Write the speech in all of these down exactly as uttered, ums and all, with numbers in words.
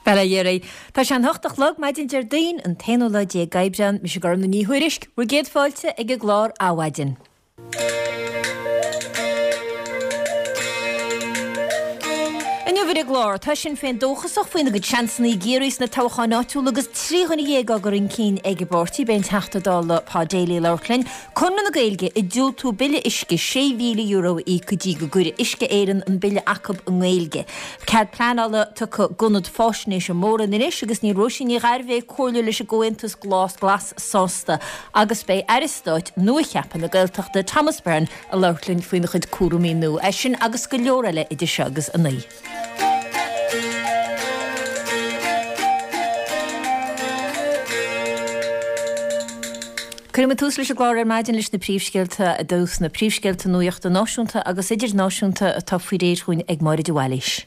Bail ó Dhia oraibh. Tá sé an hocht a chlog maidin Déardaoin, an t-aonú lá déag Aibreán, mise Gormfhlaith Ní Thuairisg, bhur gcéad fáilte ag an gclár Adhmhaidin. Inniu ar an gclár, tá Sinn Féin dóchasach faoina gcuid seansanna i gCiarraí sna toghcháin áitiúla agus trí dhuine dhéag á gcur chun cinn ag an bpáirtí. Beidh an Teachta Dála Pa Daly ag labhairt linn. Conradh na Gaeilge ag diúltú bille uisce sé mhíle euro a íoc go dtí go gcuirfidh Uisce Éireann an bille acu i nGaeilge. Cead pleanála tugtha d'ionad fáisnéise mór in Inis agus níl Róisín Ní Ghairbhí, comhairleoir leis an gComhaontas Glas Glas sásta agus beidh Aire Stáit nua-cheaptha na Gaeltachta Thomas Byrne ag labhairt linn faoina chuid cúraimí nua. É sin agus go leor eile idir seo agus a naoi. Cuirfidh muid tús leis an gclár ar maidin leis na príomhscéalta i dtús, na príomhscéalta nuachta náisiúnta agus idirnáisiúnta atá faoi réir chugainn ag Máire de Bhailís.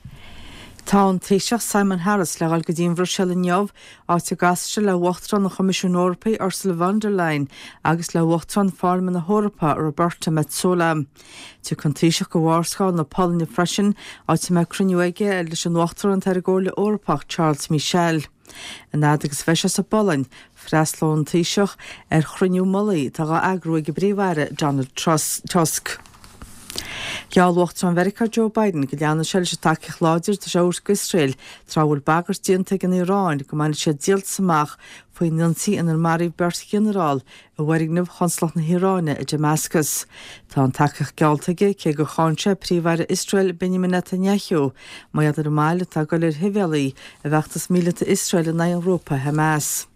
Tá an Taoiseach Simon Harris le dhul go dtí an Bhruiséil inniu, áit a gcasfaidh sé le Uachtarán an Choimisiúin Eorpaigh Ursula von der Leyen agus le Uachtarán Pharlaimint na hEorpa Roberta Metsola. Tiocfaidh an Taoiseach go Vársá na Polainne freisin, áit a mbeidh cruinniú aige leis an Uachtarán atá ar an gComhairle Eorpach Charles Michel. An fhad agus a bheidh sé sa bPolainn, freastalóidh an Taoiseach ar chruinniú mullaigh atá á eagrú ag an bPríomh-Aire Donald Tusk. Gheall Uachtarán Mheiriceá Joe Biden go leanfaidh sé leis an tacaíocht láidir atá sé a thabhairt d'Iosrael tráth a bhfuil bagairt déanta ag an Iaráin go mbainfidh siad díoltas amach faoin ionsaí inar maraíodh beirt ghinearál i bhfoirgneamh Chonsalacht na hIaráine i Damascus. Tá an tacaíocht geallta aige cé gur cháin sé Príomh-Aire Iosrael Benjamin Netanyahu mar gheall ar an moill atá ag dul ar shibhialaigh i bhfeachtas míleata Iosrael in aghaidh an ghrúpa Hamas.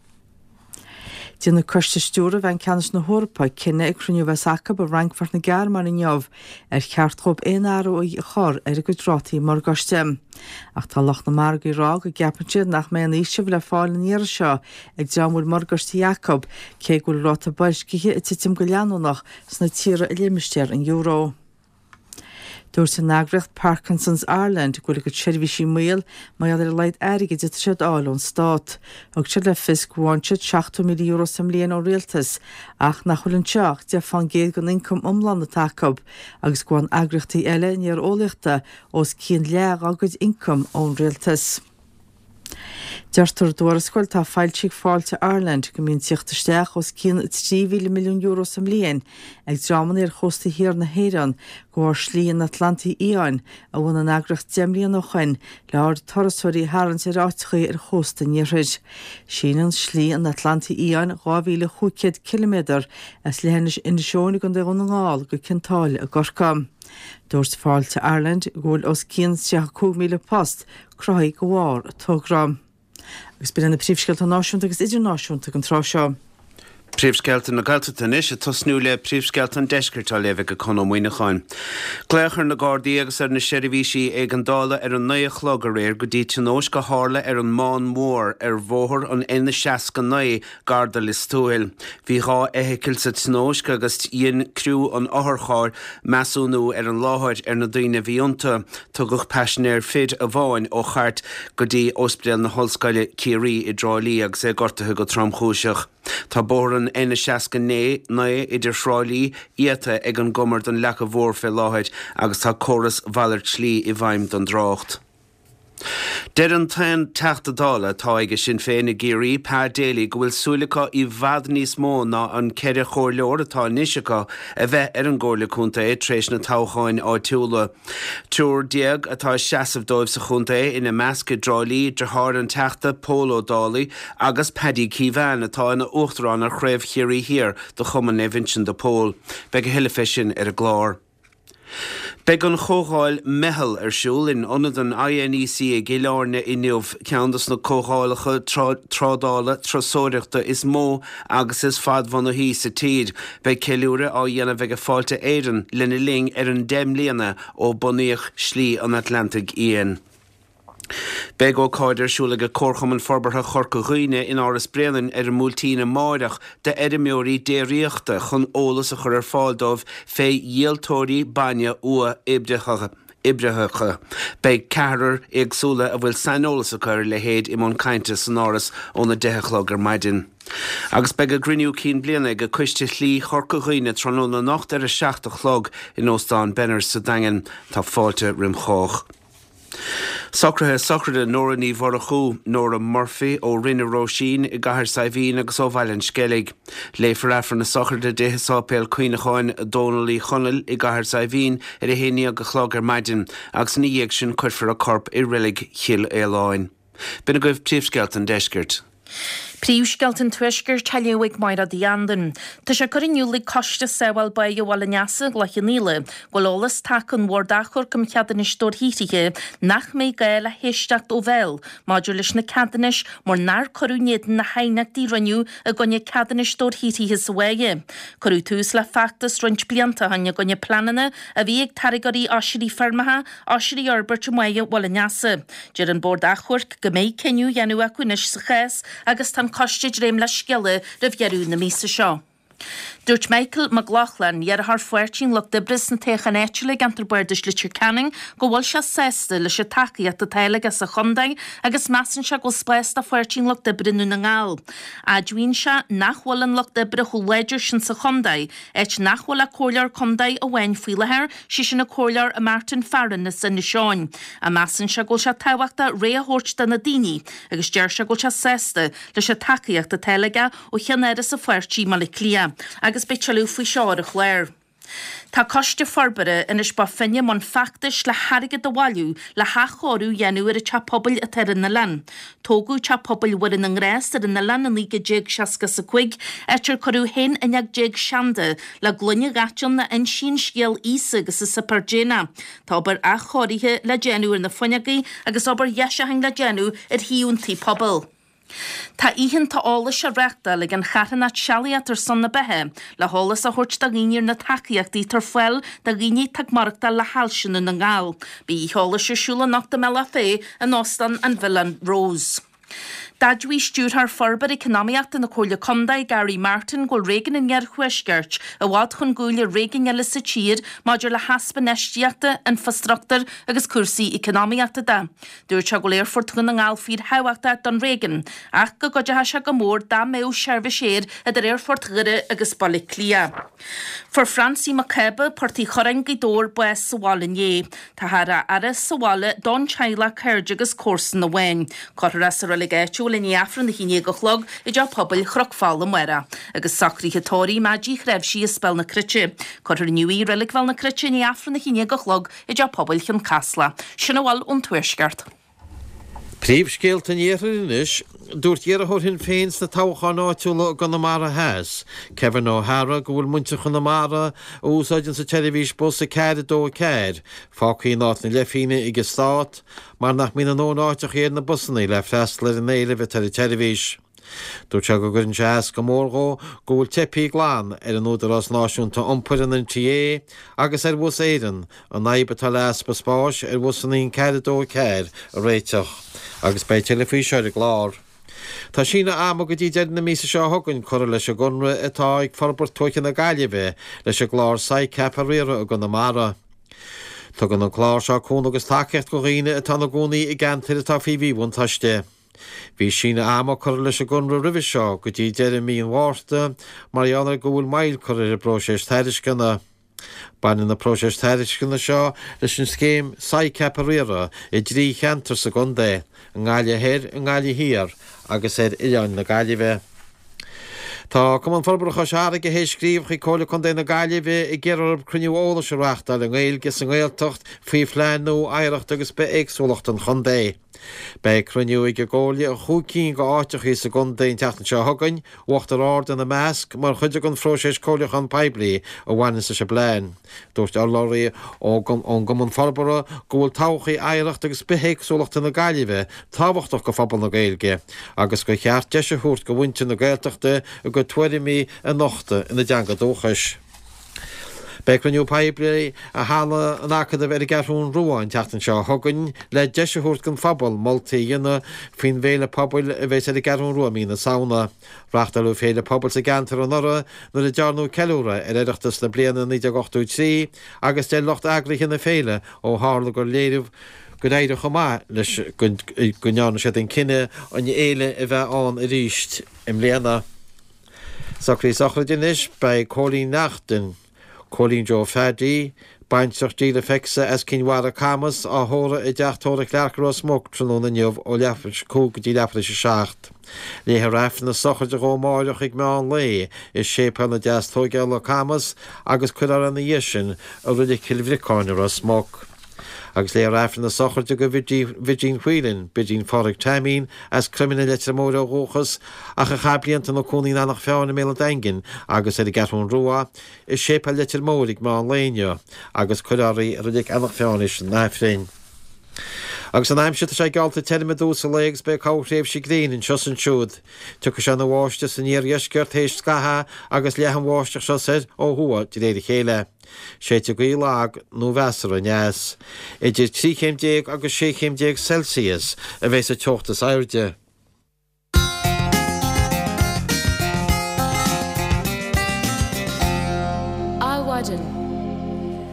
Déanfaidh Coiste Stiúrtha Bhanc Ceannais na hEorpa cinneadh ag cruinniú a bheas acu i bhFrankfurt na Gearmáine inniu ar cheart dóibh aon athrú a chur ar a gcuid rátaí morgáiste. Ach tá lucht na margaí ag rá go gceapann siad nach mbeidh aon fhaoiseamh le fáil an iarraidh seo ag dream a bhfuil morgáistí acu, cé go bhfuil ráta boilscithe ag titim go leanúnach sna tíortha i limistéar an euro. Dúirt an eagraíocht Parkinson's Ireland go bhfuil a gcuid seirbhísí i mbaol mar gheall ar a laghad airgid atá siad a fháil ón stát. Thug siad le fios go bhfaigheann siad seachtó míle euro sa mbliain ón rialtas ach nach bhfuil anseo ach deich fán gcéad den ioncam iomlán atá acu agus go bhfaigheann eagraíochtaí eile néareolaíochta os cionn leath dá gcuid ioncaim ón rialtas. Deirtear i dtuarascáil atá foilsithe ag Fáilte Ireland go mbíonn tíocht isteach os cionn trí mhíle milliún euro sa mbliain ag dreamanna ar chósta thiar na hÉireann de bharr Slí an Atlantaigh Fhiáin a bhunaigh an eagraíocht deich mbliana ó shoin le aird turasóirí a tharraingt ar áiteachaí ar chósta an iarthair. Síneann Slí an Atlantaigh Fhiáin dhá mhíle chúig chéad ciliméadar as leithinis Inis Eoghain i gContae Dhún na nGall go Cionn tSáile i gCorcaigh. Dúirt Fáilte Ireland go bhfuil os cionn tríocha cúig míle post cruthaithe de bharr an togra. Agus b'in iad na príomhscéalta náisiúnta agus idirnáisiúnta ag an tráth seo. Príomhscéalta na Gaeltachta anois, ag tosnú le príomhscéalta an Deiscirt á léamh ag Conn Ó Muíneacháin. Glaodh ar na Gardaí agus ar na seirbhísí éigeandála ar a naoi a chlog aréir go dtí tionóisc a tharla ar an mBán Mhór ar bhóthar an N seasca naoi gar do Lios Tuathail. Bhí dhá fheithicil sa tionóisc agus dhein criú an otharchairr measúnú ar an láthair ar na daoine a bhí iontu. Tugadh paisinéir fir amháin ó chairt go dtí Ospidéal na hOllscoile, Ciarraí i dTrá Lí agus é gortaithe go tromchúiseach. Tá bóthar an N seasca naoi idir Thrá Lí iata ag an gCumar don Leaca Mhór fé láthair agus tá córas mhalairt slí i bhfeidhm don dtrácht. Deir an t-aon Teachta Dála atá aige Sinn Féin i gCiarraí, Pa Daly, go bhfuil súil acu i bhfad níos mó ná an ceithre chomhairleoir atá anois acu a bheith ar an gComhairle Contae tar éis na toghcháin áitiúla. Triúr déag atá ag seasamh dóibh sa chontae, ina measc i dTrá Lí, deartháir an Teachta, Pól Ó Dálaigh, agus Paddy Keevan atá ina uachtarán ar Chraobh Chiarraí Thiar de Chumann Naomh Uinseann de Pól. Beidh a thuilleadh fé sin ar an gclár. Beidh an chomhdháil Meitheal ar siúl in Ionad an INEC i gCill Airne inniu, ceann dos na comhdhálacha trádála turasóireachta is mó agus is fadbhunaithí sa tír. Beidh ceiliúradh á dhéanamh ag Fáilte Éireann lena linn ar an deich mbliana ó bunaíodh Slí an Atlantaigh Fhiáin. Beidh ócáid ar siúl ag Comharchumann Forbartha Chorca Dhuibhne in Áras Bréanainn ar an mBuailtín amáireach d'fheirmeoirí déiríochta chun eolas a chur ar fáil dóibh fé dhíoltóirí bainne uathoibritheacha. Beidh ceathrar éagsúla a bhfuil saineolas acu ar a leithéid i mbun cainte san Áras óna deich a chlog ar maidin. Agus beidh a gcruinniú cinn bliana ag Coiste Shlí Chorca Dhuibhne tráthnóna anocht ar a seacht a chlog in Óstán Benners sa Daingean. Tá fáilte roim chách. Socruithe sochraide Nóra Ní Mhurchú, Nóra Murphy ó Rinn na Róisín i gCathair Saidhbhín agus ó Bhaile an Sceilg. Léifear Aifreann na sochraide di i Séipéal Cuimhneacháin Dónal Uí Chonaill i gCathair Saidhbhín ar a haon déag a chlog ar maidin agus ina dhiaidh sin cuirfear a corp i reilig Chill Fhaoláin. B'in agaibh príomhscéalta an deiscirt. Príomhscéalta an Tuaiscirt á léamh ag Máire Uí Andain. Tá sé curtha in iúl ag Coiste Sábháil Báighe Bhaile an Easa i gCloich Cheann Fhaola go bhfuil eolas tagtha ón Bhord Achomhairc um Cheadúnais Dobharshaothraithe nach mbeidh gá le héisteacht ó bhéal maidir leis na ceadúnais mar nár cuireadh in éadan na haighneachtaí a rinneadh i gcoinne ceadúnais dobharshaothraithe sa bháighe. Cuireadh tús le feachtas roinnt blianta ó shin i gcoinne pleananna a bhí ag táirgeoirí oisrí feirmeacha oisrí a fhorbairt i mbáighe Bhaile an Easa. Deir an Bord Achomhairc go mbeidh cinneadh á dhéanamh acu anois sa chás agus tá an coiste ag dréim le scéala roimh dheireadh na míosa seo. Dúirt Michael Mac Lochlainn, iarrthóir Pháirtí an Lucht Oibre sna toghcháin áitiúla i gceantar Bardais Leitir Ceanainn, go bhfuil sé sásta leis an tacaíocht atá aige sa chontae agus measann sé go bhfuil spás do Pháirtí an Lucht Oibre i nDún na nGall. Admhaíonn sé nach bhfuil an Lucht Oibre chomh láidir sin sa chontae, áit nach bhfuil ach comhairleoir contae amháin faoi láthair, sé sin an Comhairleoir Martin Farren as Inis Eoghain. Ach measann sé go bhfuil sé tábhachtach rogha a thabhairt do na daoine agus deir sé go bhfuil sé sásta leis an tacaíocht atá aige ó cheannáras an pháirtí i mBaile Átha Cliath agus beidh tuilleadh faoi seo ar an chlár. Tá Coiste Forbartha Inis Bó Finne i mbun feachtais le hairgead a bhailiú le hathchóiriú a dhéanamh ar an teach pobail atá ar an oileán. Tógadh Teach Pobail Mhuire na nGrást ar an oileán i naoi déag déag seasca is a cúig, áit ar cuireadh haon fhuinneog déag seanda le gloine dhaite ann a insíonn scéal Íosa agus a Suipéar Déanach. Tá obair athchóirithe le déanamh ar na fuinneogaí agus obair dheisiúcháin le déanamh ar thaobh an tí pobail. Tá oícheanta eolais á reáchtáil ag an charthanacht Sealaíocht ar son na Beatha le heolas a thabhairt do dhaoine ar na tacaíochtaí atá ar fáil do dhaoine atá ag maireachtáil le hailse i nDún na nGall. Beidh oíche eolais ar siúl anocht i mBealach Féich in Óstán an Villa Rose. D'admhaigh Stiúrthóir Forbartha Eacnamaíochta na Comhairle Contae, Gary Martin, go bhfuil réigiún an Iarthuaiscirt i bhfad chun gcúil ar réigiúin eile sa tír maidir le heaspa infheistíochta, infreastruchtúir agus cúrsaí eacnamaíochta de. Dúirt sé go bhfuil Aerfort Dhún na nGall fíorthábhachtach don réigiún ach go gcuideodh sé go mór dá mbeadh seirbhís aeir idir Aerfort Dhoire agus Baile Átha Cliath. Fuair Francie Mac Cába, Port Uí Churráin, Gaoth Dobhair, bás sa bhaile inné. Táthar á fhaire sa bhaile don teaghlach, cairde agus comharsan amháin. Cuirfear é sa reilig áitiúil i ndiaidh Aifreann a haon déag a chlog i dTeach Pobail Chnoc Fola amárach. Agus socruithe tórraimh Maidí Chreimhsí as Béal na Cruite. Cuirfear inniu í i Reilig Bhéal na Cruite i ndiaidh Aifreann a haon déag a chlog i dTeach Pobail Chionn Caslach. Sin a bhfuil ón Tuaisceart. Príomhscéalta an Iarthair anois. Dúirt iarrthóir Shinn Féin sna toghcháin áitiúla i gConamara Theas, Kevin O'Hara, go bhfuil muintir Chonamara, a úsáideann an tseirbhís bus a ceathair a dó a ceathair, fágtha in áit na leithphingne ag an Stát mar nach mbíonn a ndóthain áiteacha ar na busanna le freastal ar an éileamh atá ar an tseirbhís. Dúirt sé go gcuireann sé as go mór dhó go bhfuil teipthe glan ar an Údarás Náisiúnta Iompair, an NTA, agus ar Bhus Éireann an fhadhb atá le easpa spáis ar bhusanna an ceathair a dó a ceathair a réiteach. Agus beidh tuilleadh faoi seo ar an gclár. Tá síneadh ama go dtí deireadh na míosa seo chugainn curtha leis an gconradh atá ag Forbairt Tuaithe na Gaillimhe leis an gclár SICAP a riaradh i gConamara. Tugann an clár seo cúnamh agus tacaíocht do dhaoine atá ina gcónaí i gceantair atá faoi mhíbhuntáiste. Bhí síneadh ama curtha leis an gconradh roimhe seo go dtí deireadh mí an Mhárta mar gheall ar go bhfuil moill curtha ar an bpróiseas tairisceana. Baineann na próiseas tairisceana seo leis an scéim SICAP a riaradh i dtrí cheantar sa gcontae, i nGaillimh Thoir, i nGaillimh Thiar agus ar Oileáin na Gaillimhe. Tá Cumann Forbartha Chois Fharraige théis scríobh chuig Comhairle Contae na Gaillimhe ag iarraidh orthu cruinniú eolais a reáchtáil i nGaeilge sa nGaeltacht faoi phlean nua oidhreachta agus bithéagsúlachta an chontae. Beidh cruinniú ag an gComhairle i chúig cinn de áiteachaí sa gcontae an tseachtain seo chugainn, Uachtar Ard ina measc, mar chuid den phróiseas comhairliúchán poiblí a bhaineanns leis an bplean. Dúirt urlabhraí ón gCumann Forbartha go bhfuil todhchaí oidhreachta agus bithéagsúlachta na Gaillimhe tábhachtach do phobal na Gaeilge agus gur cheart deis a thabhairt do mhuintir na Gaeltachta a gcuid tuairimí a nochtadh ina dteanga dúchais. Beidh cruinniú poiblí i Halla an Acadaimh ar an gCeathrún Rua an tseachtain seo chugainn le deis a thabhairt don phobal moltaí a dhéanamh faoin bhféile pobail a bheas ar an gCeathrún Rua i mí na Samhna. Reáchtáladh féile pobail sa gceantar anuraidh nuair a dearnadh ceiliúradh ar Oireachtas na bliana naoi déag ochtó trí agus deir lucht eagraithe na féile ó tharla gur léiriú gur éirigh chomh maith leis go ndearna siad an cinneadh an fhéile a bheith ann arís i mbliana. Socruithe sochraide anois, beidh Cóilín Neachtain, Cóilín Joe Phaddy, Baintreach Díle Feixa as Cinn Mhara, Camas, á thórramh i dteach tórraimh Clarke i Ros Muc tráthnóna inniu ó leathuair tar éis a cúig go dtí leathuair tar éis a seacht. Léifear Aifreann na sochraide dhó amáireach ag meán lae i Séipéal na Deastóigeála, Camas, agus cuirfear é ina dhiaidh sin i Reilig Chill Bhriocáin i Ros Muc. Agus léifear Aifreann na sochraide do Bhridín Whelan, Bridín Phádraig Taimín, as Croimlinn i Leitir Móir ó dhúchas, ach a chaith blianta ina cónaí in Eanach Mheáin i mBéal an Daingin agus ar an gCeathrún Rua, i Séipéal Leitir Móir ag meán lae inniu, agus cuirfear í i Reilig Eanach Mheáin théis an Aifrinn. Agus an aimsir, tá sé geallta tirim i dtús an lae agus beidh corrthréimhse gréine anseo is ansiúd. Tiocfaidh sé ina bháisteach san iardheisceart théis scaithimh agus leathfaidh an bháisteach seo soir ó thuaidh de réir a chéile. Séidfidh gaoth lag nó mheasartha aneas. Idir trí chéim déag agus sé chéim déag Celsius a bheidh sa teocht is airde. Adhmhaidin.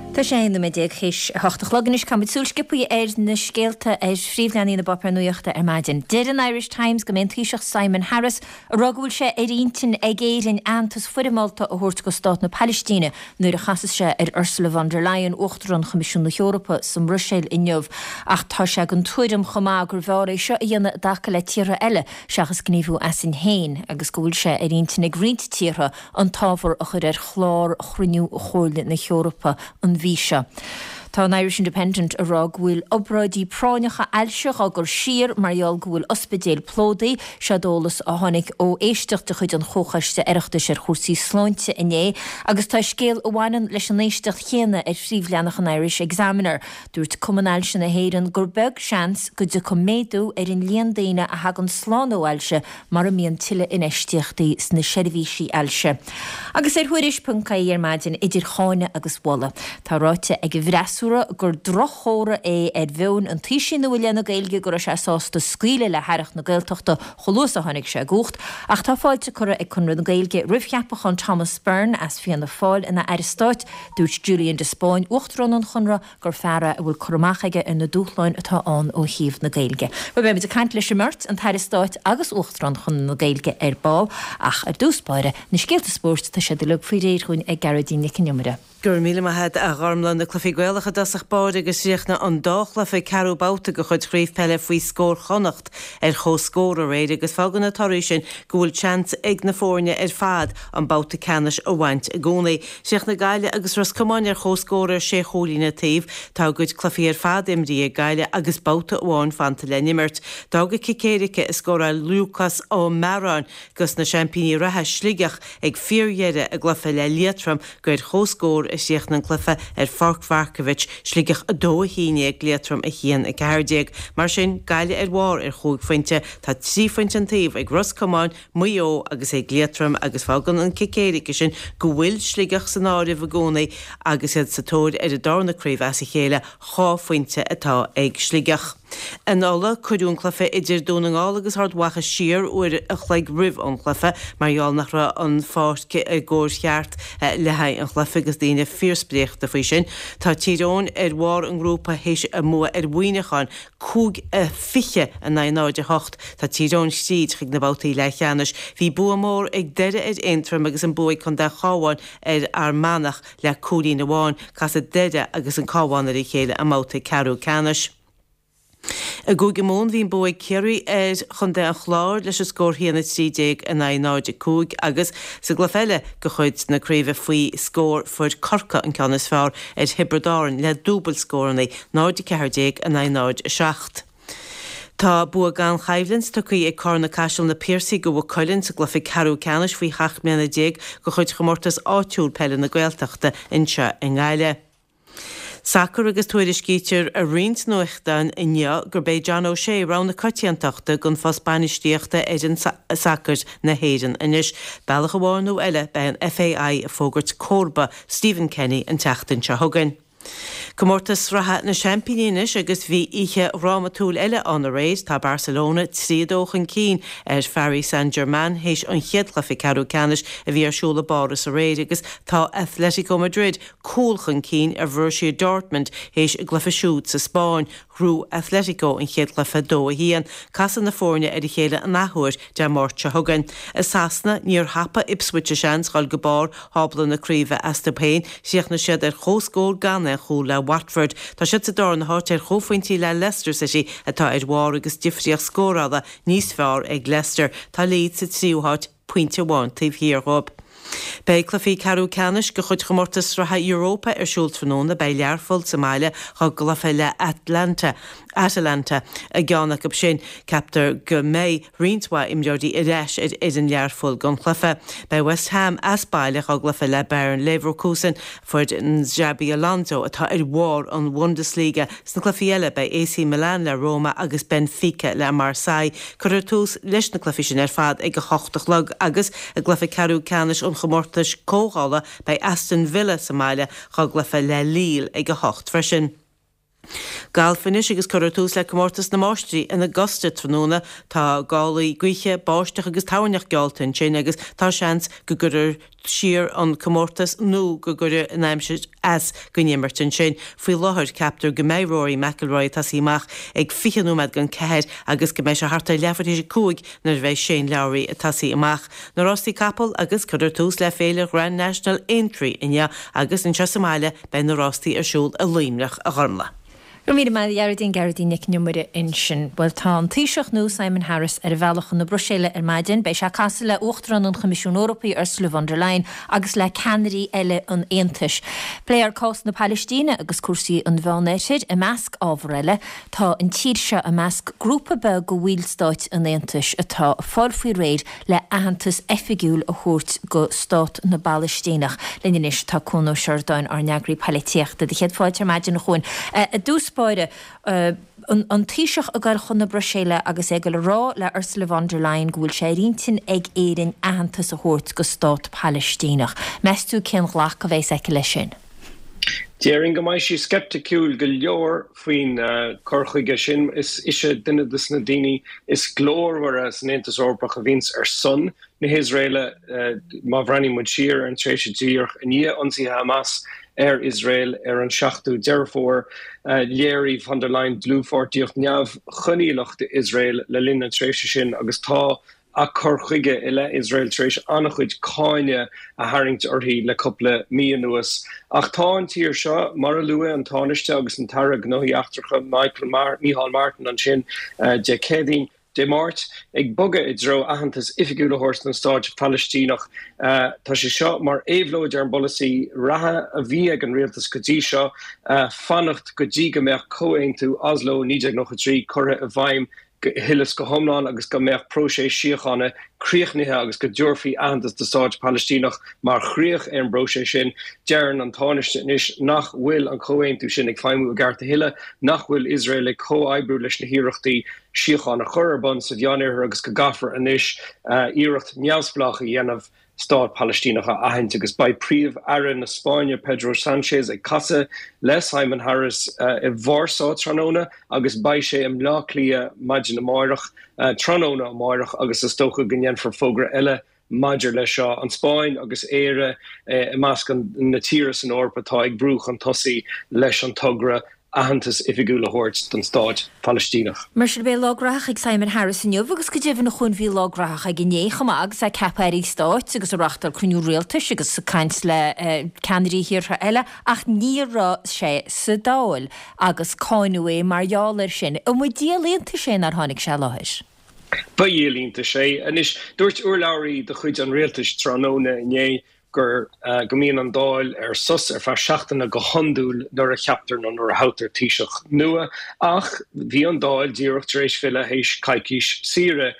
Tá sé aon nóiméad déag théis a hocht a chlog anois. Caithfimid súil sciobtha ar na scéalta ar phríomhleathanaigh na bpáipéar nuachta ar maidin. Deir an Irish Times go mbeidh an Taoiseach Simon Harris ag rá go bhfuil sé ar intinn ag Éirinn aitheantas foirmeálta a thabhairt do Stát na Palaistíne nuair a chasas sé ar Ursula von der Leyen, Uachtarán Choimisiún na hEorpa, sa mBruiséil inniu. Ach tá sé den tuairim chomh maith gurbh fhearr é seo a dhéanamh i dtaca le tíortha eile seachas gníomhú asainn féin agus go bhfuil sé ar intinn ag roinnt tíortha an t-ábhar a chur ar chlár chruinniú Chomhairle na hEorpa an mhí seo. Tá an Irish Independent ag rá go bhfuil obráidí práinneacha ailse á gcur siar mar gheall go bhfuil ospidéil plódaithe. Seod eolas a tháinig ó éisteacht de chuid an Chomhchoiste Oireachtais ar chúrsaí sláinte inné agus tá scéal a bhaineann leis an éisteacht chéanna ar phríomhleathanach an Irish Examiner. Dúirt Cumann Ailse na hÉireann gur beag seans go dtiocfaidh méadú ar an líon daoine a thagann slán ó ailse mura mbíonn tuilleadh infheistíochtaí sna seirbhísí ailse. Agus ar Thuairisc ponc ie ar maidin, idir cháineadh agus mholadh, tá ráite ag an bhfreasúra gur drochthoradh é ar mheon an Taoisigh nua i leith na Gaeilge go raibh sé sásta scaoileadh le hAireacht na Gaeltachta chomh luath is a tháinig sé i gcumhacht. Ach tá fáilte curtha ag Conradh na Gaeilge roimh cheapachán Thomas Byrne as Fianna Fáil ina Aire Stáit. Dúirt Julian de Spáinn, Uachtarán an Chonartha, gur fear é a bhfuil cur amach aige ar na dúshláin atá ann ó thaobh na Gaeilge. Bhuel, beimid ag caint leis an mbeirt, an tAire Stáit agus Uachtarán Chonradh na Gaeilge ar ball, ach ar dtús báire, na scéalta spóirt, tá siad uilig faoi réir dhúinn ag Gearóidín Nic an Iomaire. Go raibh míle maith agat, a Ghormlaith. Na cluichí Gaelacha i dtosach báire agus chríochnaigh an dá chluiche ceathrú babhta de chuid Chraobh Peile faoi scór Chonnacht ar comhscór aréir agus fágann na torthaí sin go bhfuil seans ag na foirne ar fad an babhta ceannais a bhaint i gcónaí. Chríochnaigh Gaillimh agus Ros Comáin ar comhscór ar sé chúilín an taobh. Tá a gcuid cluichí ar fad imrithe ag Gaillimh agus babhta amháin fanta le n-imirt. D'fhág cic éirice a scóráil Lúcás Ó Mearáin dos na seaimpíní reatha, Sligeach, ag fíordheireadh a gcluiche le Liatroim gur ar comhscór a chríochnaigh an cluiche ar Pháirc Mharkievicz, Sligeach a dó a haon déag, Liatroim a haon a ceathair déag. Mar sin, Gaillimh ar bharr ar chúig phointe. Tá trí phointe an taobh ag Ros Comáin, Maigh Eo agus ag Liatroim agus fágann an cic éirice sin go bhfuil Sligeach san áireamh i gcónaí agus iad sa tóir ar a darna craobh as a chéile, dhá phointe atá ag Sligeach. In Ulaidh, cuireadh an cluiche idir Dún na nGall agus Ard Mhacha siar uair a chloig roimh an chluiche mar gheall nach raibh an pháirc i gcóir cheart le haghaidh an chluiche agus daoine fíorspréachta faoi sin. Tá Tír Eoghain ar bharr an ngrúpa théis a mbua ar Mhuineachán, cúig a fiche in aghaidh náid a hocht. Tá Tír Eoghain tríd chuig na babhtaí leathcheannais. Bhí bua mór ag Doire ar Aontroim agus an bua ag Contae an Chabháin ar Fhear Manach le cúilín amháin. Casfaidh Doire agus an Cabhán ar a chéile i mbabhta ceathrú ceannais. I gCúige Mumhan bhí an bua ag Ciarraí ar Chontae an Chláir leis an scór a haon a trí déag in aghaidh náid a cúig agus sa gcluiche eile de chuid na craoibhe faoi scór fuair Corcaigh an ceann is fearr ar Thiobraid Árann le dúbailt scóranna, náid a ceathair déag in aghaidh náid a seacht. Tá bua gan choimhlint tugtha ag Carna-Caiseal Na Piarsaigh do Mhaigh Cuilinn sa gcluiche ceathrú ceannais faoi sheacht mbliana déag de chuid chomórtas áitiúil peile na Gaeltachta anseo i nGaillimh. Sacar agus tuairiscítear i roinnt nuachtán inniu gurb é John O'Shea rogha na coitiantachta don phost bainistíochta ar fhoireann sacair na hÉireann anois. Bealach amháin nó eile beidh an FAI ag fógairt comharba Stephen Kenny an tseachtain seo chugainn. Comórtas Sraithe na Seaimpíní anois agus bhí oíche dhrámatúil eile ann aréir. Tá Barcelona trí a dó chun cinn ar Pharis Saint-Germain théis an chéad chluiche ceathrú ceannais a bhí ar siúl i bPáras aréir agus tá Atletico Madrid cúl chun cinn ar Bhorussia Dortmund théis a gcluiche siúd sa Spáinn. Ghnóthaigh Atletico an chéad chluiche dó a haon. Casfaidh na foirne ar a chéile an athuair Dé Máirt seo chugainn. I Sasana, níor thapaigh Ipswich a seans dhul go barr thábla na craoibhe astu féin. Chríochnaigh siad ar comhscór gan aon chúl le Watford. Tá siad sa darna háit ar chomhphointí le Leicester City atá ar bharr agus difríocht scórála níos fearr ag Leicester. Tá Leeds sa tríú háit pointe amháin taobh thiar dhóibh. Beidh cluichí ceathrú ceannais de chuid chomórtas sraithe Europa ar siúl tráthnóna, beidh Learpholl sa mbaile dá gcluiche le Atlanta Atalanta i gceann acu sin. Ceaptar go mbeidh roinnt mhaith imreoirí ar ais ar fhoireann Learphoill don chluiche. Beidh West Ham as baile dá gcluiche le Bayer Leverkusen, foireann Xabi Alonso atá ar bharr an Bundesliga. Sna cluichí eile beidh AC Milan le Roma agus Benfica le Marseille. Cuirfear tús leis na cluichí sin ar fad ag a hocht a chlog agus i gcluiche ceathrú ceannais an chomórtais comhdhála beidh Aston Villa sa mbaile dá gcluiche le Lille ag a hocht freisin. Galf anois agus cuirfear tús le Comórtas na Máistrí in Augusta tráthnóna. Tá gálaí gaoithe, báisteach agus toirneach geallta ansin agus tá seans go gcuirfear siar an comórtas nó go gcuirfidh an aimsir as don imirt ansin. Faoi láthair ceaptar go mbeidh Rory McIlroy ag tosaí amach ag fiche nóiméad don ceathair agus go mbeidh sé thart ar leathuair théis a cúig nuair a bheidh Shane Lowry ag tosaí amach. Na rástaí capall agus cuirfear tús le Féile Grand National Aintree inniu agus anseo sa mbaile beidh na rástaí ar siúl i Luimneach, a Ghormlaith. Go raibh míle maith agat a Ghearóidín, Gearóidín Nic an Iomaire ansin. Bhuel tá an Taoiseach nua Simon Harris ar a bhealach chun na Bruiséile ar maidin. Beidh sé ag casadh le Uachtarán an Choimisiúin Eorpaigh Ursula von der Leyen agus le ceannairí eile an Aontais. Pléifear cás na Palaistíne agus cúrsaí an Mheánoirthir i measc ábhar eile. Tá an tír seo i measc grúpa beag de bhallstáit an Aontais atá ag fáil faoi réir le aitheantas oifigiúil a thabhairt go stát na bPalaistíneach. Linn anois tá Cuan Ó Seireadáin ár n-eagraí poilitíochta. Do chéad fáilte ar maidin a Chuain. I dtús báire, an Taoiseach ag goil chun na Bruiséile agus é ag goil a rá le Ursula von der Leyen go bhfuil sé ar intinn ag Éirinn aitheantas a thabhairt go stát Palaistíneach. Meas tú cén ghlacadh a bheas aici leis sin? Déarfainn go mbeidh sí sceipticiúil go leor faoin cur chuige sin. Is ise duine de na daoine is glórmhaire san Aontas Eorpach a bhíonns ar son na hIosraeile. Má bhreathnaíonn muid siar ar an tréimhse díreach i ndiaidh ionsaithe Hamas ar Iosrael ar an seachtú Deireadh Fómhair, léirigh von der Leyen dlúthpháirtíocht neamhchoinníollach d'Iosrael le linn na tréimhse sin agus tá a cur chuige i leith Iosrael tar éis an-chuid cáineadh a tharraingt uirthi le cúpla mí anuas. Ach tá an tír seo, mar a luaigh an Tánaiste agus an tAire Gnóthaí Eachtracha Michael Micheál Martin ansin Dé Céadaoin, Dé Máirt, ag bogadh i dtreo aitheantas oifigiúil a thabhairt don stáit Phalaistíneach. Tá sé seo mar éabhlóid ar an bpolasaí reatha a bhí ag an rialtas go dtí seo, fanacht go dtí go mbeadh Comhaontú Oslo naoi déag nócha trí curtha i bhfeidhm go huile is go hiomlán agus go mbeadh próiseas síochána críochnaithe agus go dtabharfaí aitheantas do stáit Palaistíneach mar chríoch ar an bpróiseas sin. Deireann an Tánaiste anois nach bhfuil an comhaontú sin ag feidhmiú i gceart a thuilleadh, nach bhfuil Iosrael ag comhoibriú leis na hiarrachtaí síocháin a chur ar bun sa Mheánoirthear agus go gcaithfear anois iarracht neamhspleách a dhéanamh Stát Palaistíneach a aithint agus beidh Príomh-Aire na Spáinne Pedro Sanchez ag casadh le Simon Harris i Vársá tráthnóna agus beidh sé i mBleá Cliath maidin amáireach, tráthnóna amáireach agus is dócha go ndéanfar fógra eile maidir leis seo. An Spáinn agus Éire i measc na tíortha san Eoraip atá ag brú chun tosaigh leis an togra aitheantas oifigiúil a thabhairt don Stát Palaistíneach. Mar sin, beidh lá graitheach ag Simon Harris inniu agus go deimhin a Chuain bhí lá graitheach aige inné chomh maith agus é ag ceapadh airí stáit agus ag reáchtáil cruinniú rialtais agus ag caint le ceannairí thíortha eile ach ní raibh sé sa Dáil agus cáineadh é mar gheall air sin. An mba díol iontais é nár tháinig sé i láthair? Ba dhíol iontais é. Anois, dúirt urlabhraí de chuid an rialtais tráthnóna inné gur go mbíonn an Dáil ar sos ar feadh seachtaine go hiondúil nuair a cheaptar nó nuair a thoghtar Taoiseach nua, ach bhí an Dáil díreach tar éis filleadh théis coicís saoire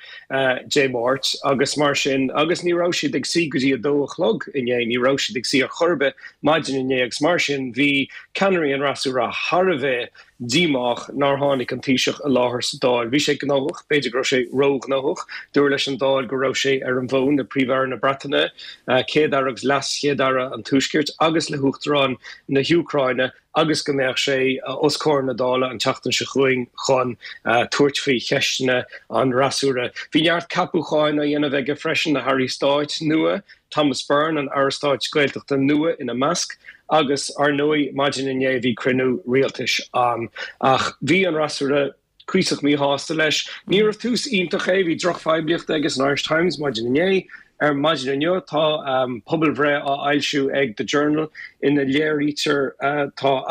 Dé Máirt agus mar sin, agus ní raibh siad ag suí go dtí a dó a chlog inné, ní raibh siad ag suí ar chor ar bith maidin inné agus mar sin bhí ceannairí an fhreasúra thar a bheith díomách nár tháinig an Taoiseach i láthair sa Dáil. Bhí sé gnóthach, b'fhéidir go raibh sé róghnóthach. Dúradh leis an Dáil go raibh sé ar an bhfón le Príomh-Aire na Breataine, Céad-Aire agus LeasChéad-Aire an Tuaiscirt agus le hUachtarán na hÚcráine agus go mbeadh sé os comhair na Dála an tseachtain seo chugainn chun tabhairt faoi cheisteanna an fhreasúra. Bhí neart ceapúcháin á dhéanamh aige freisin, na hairí stáit nua, Thomas Byrne, an Aire Stáit Gaeltachta nua ina measc, agus ar ndóigh maidin inné bhí cruinniú rialtais ann. Ach bhí an fhreasúra cuíosach míshásta leis. Níorbh tús iontach é, bhí drochphoiblíocht aige san Irish Times maidin inné. Ar maidin inniu tá pobalbhreith á fhoilsiú ag The Journal ina léirítear tá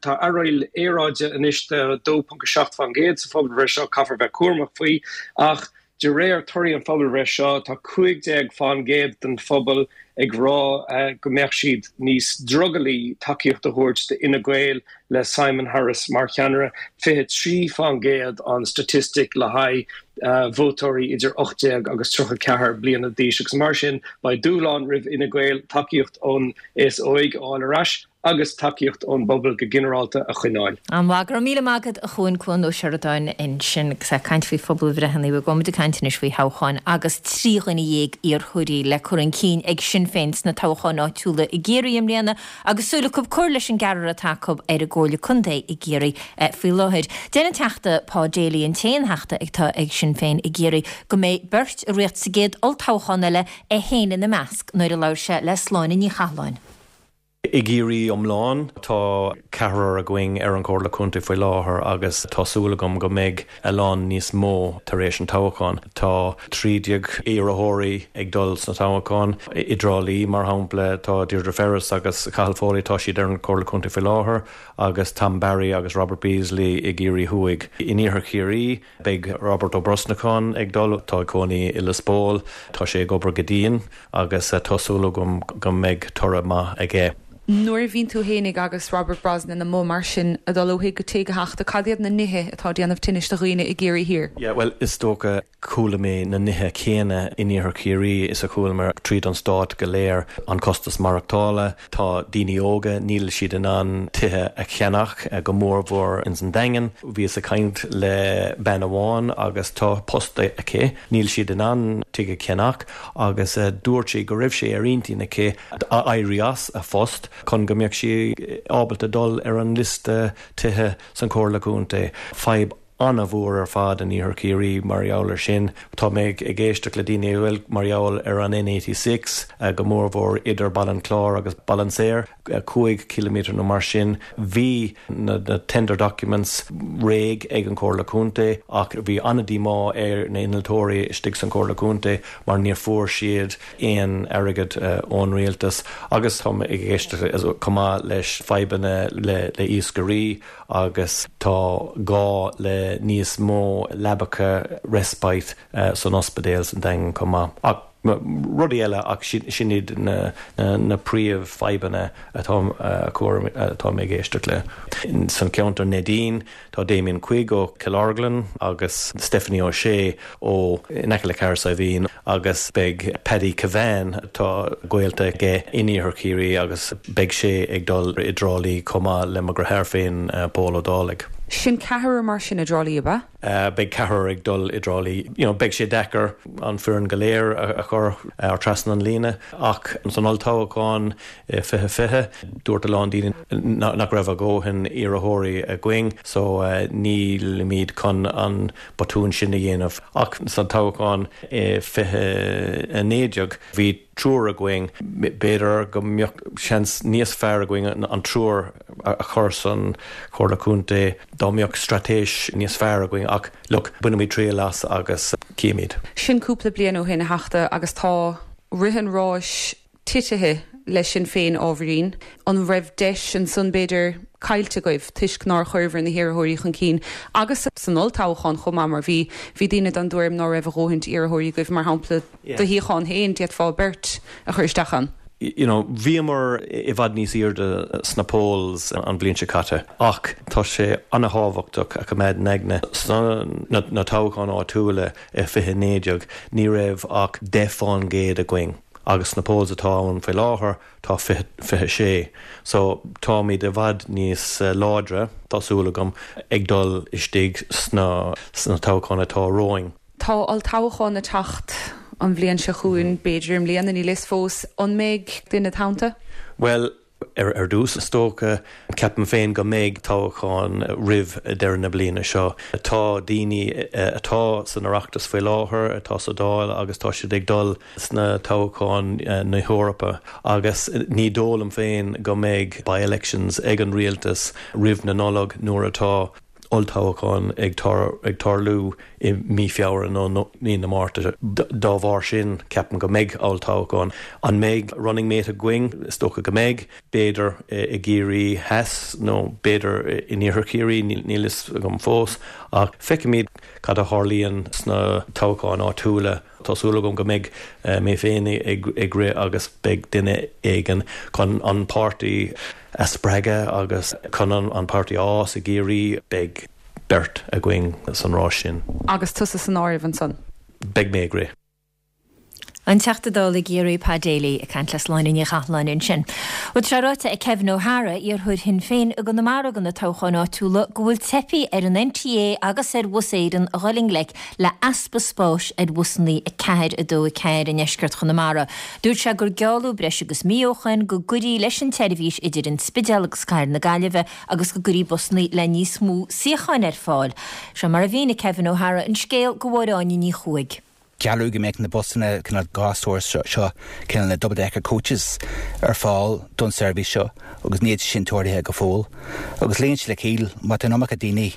tá uireall aeráide anois de a dó ponc a seacht faoin gcéad sa phobalbhreith seo, caithfear bheith cúramach faoi ach de réir torthaí an phobalbhreith seo tá cúig déag faoin gcéad den phobal ag rá go mbeadh siad níos drogallaí tacaíocht a thabhairt d'Fhine Gael le Simon Harris mar cheannaire, fiche trí faoin gcéad an staitistic le haghaidh vótóirí idir ocht déag agus tríocha ceathair bliana d'aois agus mar sin beidh dúshlán roimh Fhine Gael tacaíocht ón aos óig a fháil ar ais agus tacaíocht ón bpobal go ginearálta a choinneáil. An-mhaith, go raibh míle maith agat a Chuain, Cuan Ó Seireadáin ansin agus ag caint faoi phobalbhreitheanna, bhuel gabhfaidh muid ag caint anois faoi thoghcháin agus trí dhuine dhéag iarrthóirí le cur chun cinn ag Sinn Féin sna toghcháin áitiúla i gCiarraí i mbliana agus súil acu cur leis an gceathrar atá acu ar an gComhairle Contae i gCiarraí faoi láthair. Deir an Teachta Pa Daly, an t-aon Theachta atá ag Sinn Féin i gCiarraí, go mbeidh beirt ag rith sa gcéad olltoghchán eile, é féin ina measc, nuair a labhair sé le Sláine Ní Chathalláin. I gCiarraí iomlán, tá ceathrar againn ar an Chomhairle Contae faoi láthair agus tá súil agam go mbeidh a lán níos mó tar éis an toghcháin. Tá trí déag iarrthóirí ag dul sna toghcháin. I dTrá Lí, mar shampla, tá Deirdre Ferris agus Cathal Foley, tá siad ar an Chomhairle Contae faoi láthair, agus Tom Barry agus Robert Beasley i gCiarraí Thuaidh. In Iarthar Chiarraí, beidh Robert Ó Brosnacháin ag dul, atá ag cónaí i Lios Póil, tá sé ag obair go dian agus tá súil agam go mbeidh toradh maith aige. Nuair a bhíonn tú fhéinig agus Robert Brosnan amuigh mar sin ag dul ó thigh go tigh a Theachta, cad iad na nithe atá ag déanamh tinnis do dhaoine i gCiarraí Thiar? Yeah, bhuel, is dócha, chuala mé na nithe céanna in Iarthar Chiarraí is a chuala mé tríd an stát go léir, an costas maireachtála, tá daoine óga, níl siad in ann tithe a cheannach, go mórmhór ins an Daingean. Bhíos ag caint le bean amháin agus tá post aici, níl siad in ann tigh a cheannach agus dúirt sí go raibh sé ar intinn aici éirí as a phost chun go mbeadh sí ábalta dul ar an liosta tithe san Chomhairle Contae. Fadhb an-mhór ar fad in Iarthar Chiarraí mar gheall air sin. Tá mé ag éisteacht le daoine a bhfuil mar gheall ar an N eighty six, go mórmhór idir Baile an Chláir agus Baile an Saoir, cúig ciliméadar nó mar sin. Bhí na tender documents réidh ag an Chomhairle Contae ach bhí an-díomá ar na innealtóirí istigh san Chomhairle Contae mar níor fuair siad aon airgead ón rialtas agus tá mé ag éisteacht chomh maith leis fadhbanna le iascairí agus tá gá le níos mó leabacha respite san ospidéal san Daingean chomh maith. Ach rudaí eile ach sin iad na na príomhfhadhbanna atá atá mé ag éisteacht le. San ceantar Neidín tá Damien Quigg ó Cill Orglan agus Stephanie O'Shea ó in aice le Cahersiveen agus beidh Paddy Kevane tá gaolta aige in Iarthar Chiarraí agus beidh sé ag dul i dTrá Lí chomh maith le mo dheartháir féin Pól Ó Dálaigh. Sin ceathrar mar sin i dTrá Lí, ab ea? Beidh ceathrar ag dul i dTrá Lí. You know, beidh sé deacair an foireann go léir a chur ar trasna an líne ach san olltoghchán fiche fiche dúirt a lán daoine nach raibh a dhóthain iarrthóirí againn so nílimid chun an botún sin a dhéanamh. Ach san toghchán fiche a naoi déag bhí triúr againn, b'fhéidir go mbeadh seans níos fearr againn an triúr a chur san Chomhairle Contae dá mbeadh straitéis níos fearr againn ach look, bainfimid triail as agus cífimid. Sin cúpla bliain ó shin, a Theachta, agus tá rith an ráis titithe le Sinn Féin ábhairín. An raibh deis ansan b'fhéidir caillte agaibh toisc nár chuireabhair na hiarrthóirí chun cinn agus san olltoghchán chomh maith mar bhí bhí daoine den dtuairim ná raibh a dhóthaint iarrthóirí agaibh mar shampla do shuíochán féin d'fhéadfá beirt a chur isteach ann. You know, bhíomar i bhfad níos airde sna polls an bhliain seo caite ach tá sé an-thábhachtach a choimeád in aigne sna na toghcháin áitiúla i fiche naoi déag ní raibh ach deich fán gcéad againn agus sna polls atá ann faoi láthair tá fiche fiche sé. So táimid i bhfad níos láidre, tá súil agam, ag dul istigh sna sna toghcháin atá romhainn. Tá olltoghchán ag teacht an bhliain seo chugainn, b'fhéidir i mbliana, níl fhios fós. An mbeidh duine id' theannta? Bhuel, Ar dtús, is dócha, ceapaim féin go mbeidh toghchán roimh deireadh na bliana seo. Tá daoine atá san Oireachtas faoi láthair, atá sa Dáil agus tá siad ag dul sna toghcháin na hEorpa agus ní dóigh liom féin go mbeidh by-elections ag an rialtas roimh na Nollag nuair atá olltoghchán ag tarlú i mí Feabhra nó mí na Márta. Dá bharr sin, ceapaim go mbeidh olltoghchán. An mbeidh running mate againn? Is dócha go mbeidh. B'fhéidir i gCiarraí Theas nó b'fhéidir in Iarthar Chiarraí, níl fhios agam fós. Ach feicfimid cad a tharlaíonn sna toghcháin áitiúla. Tá súil agam go mbeidh mé féin ag rith agus beidh duine éigin chun an páirtí a spreagadh agus chun an páirtí a fhás i gCiarraí. Beidh beirt againn san rás sin. Agus tusa san áireamh ansan? Beidh mé ag rith. An Teachta Dála i gCiarraí Pa Daly ag caint le Sláine Ní Chathalláin ansin. Bhuel tá sé ráite ag Kevin O'Hara, iarrthóir Shinn Féin i gConamara do na toghcháin áitiúla, go bhfuil teipthe ar an NTA agus ar Bhus Éireann a dhul i ngleic le easpa spáis ar bhusanna a ceathair a dó a ceathair i ndeisceart Chonamara. Dúirt sé gur gealladh breis agus mí ó shoin go gcuirfí leis an tseirbhís idir an Spidéal agus Cathair na Gaillimhe agus go gcuirfí busanna le níos mó suíocháin ar fáil. Seo mar a mhínigh Kevin O'Hara an scéal do Mháire Áine Ní Chuaig. Gealladh go mbeadh na busanna cineál dhá stór seo, cineál na double decker coaches, ar fáil don seirbhís seo agus níl sin tarlaithe go fóill. Agus luíonn sé le ciall, má tá an iomarca daoine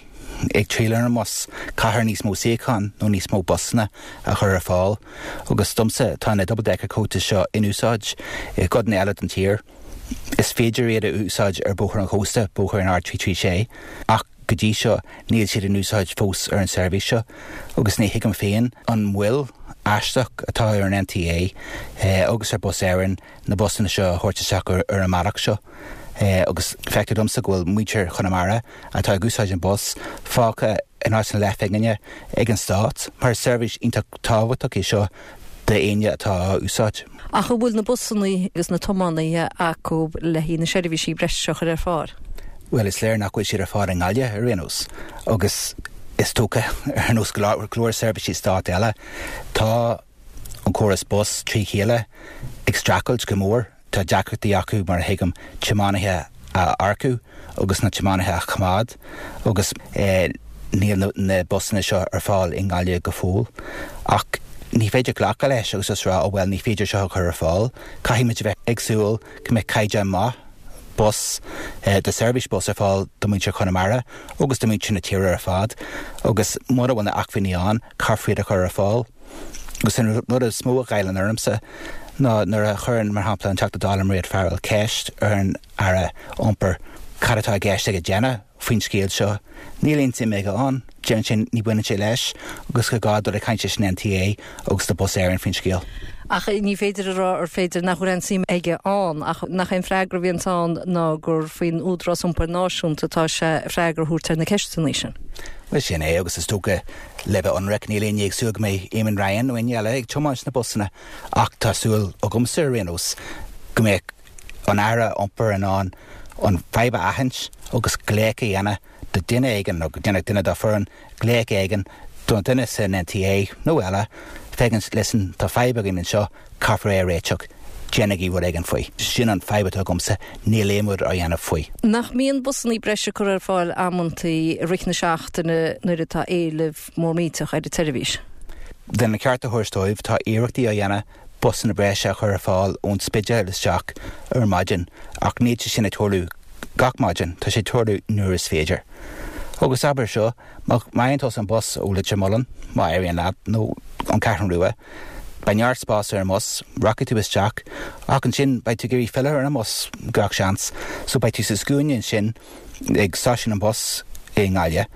ag triall ar an mbus, caithfear níos mó suíochán nó níos mó busanna a chur ar fáil. Agus domsa, tá na double decker coaches seo in úsáid i gcodanna eile den tír. Is féidir iad a úsáid ar Bhóthar an Chósta, bóthar an R trí trí sé, ach go dtí seo níl siad in úsáid fós ar an seirbhís seo agus ní thuigim féin an mhoill aisteach atá ar an NTA agus ar Bus Éireann na busanna seo a thabhairt isteach ar an mbealach seo. Agus feictear domsa go bhfuil muintir Chonamara atá ag úsáid an bus fágtha in áit na leathphingine ag an stát mar is seirbhís iontach tábhachtach é seo d'éinne atá á úsáid. Ach an bhfuil na busanna agus na tiománaithe acu le haghaidh na seirbhísí breise seo a chur ar fáil? Bhuel, is léir nach bhfuil siad ar fáil i nGaillimh ar aon nós agus is dócha ar nós go leor seirbhísí stáit eile, tá an córas bus trí chéile ag streachailt go mór. Tá deacrachtaí acu, mar a thuigim, tiománaithe a earcú agus na tiománaithe a choimeád agus níl na busanna seo ar fáil i nGaillimh go fóill. Ach ní féidir glacadh leis agus just rá, oh well, ní féidir seo a chur ar fáil. Caithfidh muid a bheith ag súil go mbeidh caighdeán maith bus, de seirbhís bus ar fáil do mhuintir Chonamara agus do mhuintir na tíre ar fad agus mura bhfuil na acmhainní ann, caithfear iad a chur ar fáil. Agus an rud is mó a ghoilleann ormsa ná nuair a chuireann, mar shampla, an Teachta Dála Mairéad Farrell ceist ar an Aire Iompair cad atá i gceist aige déanamh faoin scéal seo, níl aon suim aige ann. Deireann sé ní bhaineann sé leis agus gur gá dul ag caint leis an NTA agus le Bus Éireann faoin scéal. Ach ní féidir a rá ar féidir nach bhfuil aon suim aige ann, ach nach é an freagra a bhíonns ann ná gur faoin Údarás Iompair Náisiúnta atá sé freagra a thabhairt ar na ceisteanna sin. Bhuel sin é agus is dócha le bheith ionraic níl éinne ag súil go mbeidh Eamon Ryan nó éinne eile ag tiomáint na busanna ach tá súil agamsa ar aon nós go mbeadh an Aire Iompair in ann an fadhb a aithint agus glaoch a dhéanamh do duine éigin nó go ndéanfadh duine dá foireann glaoch éigin don duine san NTA nó eile, féachaint, listen, tá fadhb againn anseo, caithfear é a réiteach, déanaigí rud éigin faoi. Sin an fadhb atá agamsa, níl aon rud á dhéanamh faoi. Nach mbíonn busanna breise curtha ar fáil amantaí i rith na seachtaine nuair atá éileamh mór millteach ar an tseirbhís? Lena cheart a thabhairt dóibh, tá iarrachtaí á dhéanamh busanna breise a chur ar fáil ón Spidéal isteach ar maidin ach níl sé sin ag tarlú gach maidin, tá sé ag tarlú nuair is féidir. Agus abair seo, má fhaigheann tusa an bus ó Leitir Mealláin, má éiríonn leat, nó an Cheathrú Rua, beidh neart spáis ar an mbus, rachaidh tú isteach, ach ansin beidh tú ag iarraidh filleadh ar an mbus gach seans, so beidh tú sa scuaine ansin ag stáisiún an bus i nGaillimh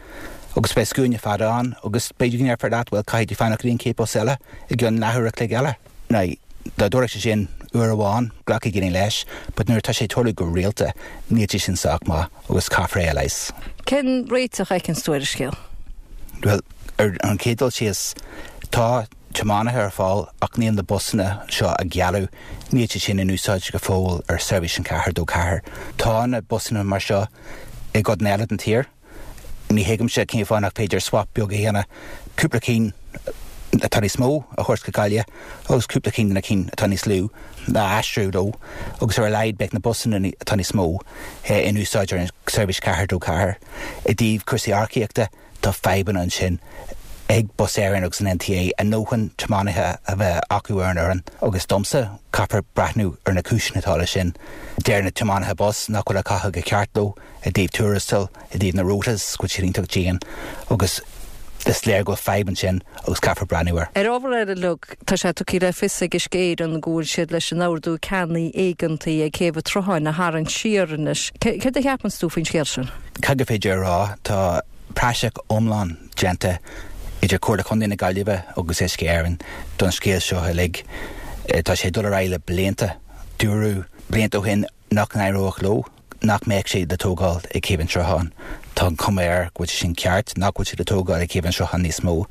agus beidh scuaine fada ann agus b'fhéidir go ndéarfar leat, bhuel, caithfidh tú fanacht go dtí an chéad bus eile i gcionn leathuair a chloig eile. Now, dá dtarlódh sé sin uair amháin, glacfaidh daoine leis, but nuair atá sé ag tarlú go rialta, níl sé sin sách maith agus caithfear é a leigheas. Cén réiteach a fheiceanns tú ar an scéal? Bhuel, ar an chéad dul síos, tá tiománaithe ar fáil ach níl na busanna seo a gealladh, níl siad sin in úsáid go fóill ar seirbhís an ceathair dó ceathair. Tá na busanna mar seo i gcodanna eile den tír. Ní thuigimse cén fáth nach féidir swap beag a dhéanamh, cúpla cinn atá níos mó a thabhairt go Gaillimh agus cúpla cinn de na cinn atá níos lú a aistriú leo agus ar a laghad beidh na busanna atá níos mó in úsáid ar an seirbhís ceathair dó ceathair. I dtaobh cúrsaí earcaíochta tá fadhbanna ansin ag Bus Éireann agus an N T A a ndóthain tiománaithe a bheith acu ar an fhoireann agus domsa caithfear breathnú ar na cúiseanna atá leis sin. Deir na tiománaithe bus nach bhfuil á caitheamh go ceart leo i dtaobh tuarastail, i dtaobh na rotas, go bhfuil siad iontach dian agus is léir go bhfuil fadhb ansin agus caithfear breathnú air. Ar ábhar eile Luke, tá sé tugtha le fios ag Uisce Éireann go bhfuil siad leis an ordú ceannaigh éigeantaigh ag Céibh an tSrutháin a tharraingt siar anois. Céard a cheapann tú faoin scéal sin? Cad gur féidir a rá, tá praiseach iomlán déanta idir Comhairle Contae na Gaillimhe agus Uisce Éireann don scéal seo uilig. Tá sé dul ar aghaidh le blianta. Dúradh blianta ó shin nach n-éireodh leo, nach mbeadh sé le tógáil ag Céibh an tSrutháin. Tá an chuma air go bhfuil sé sin ceart, nach bhfuil sé le tógáil ag Céibh an Srutháin níos mó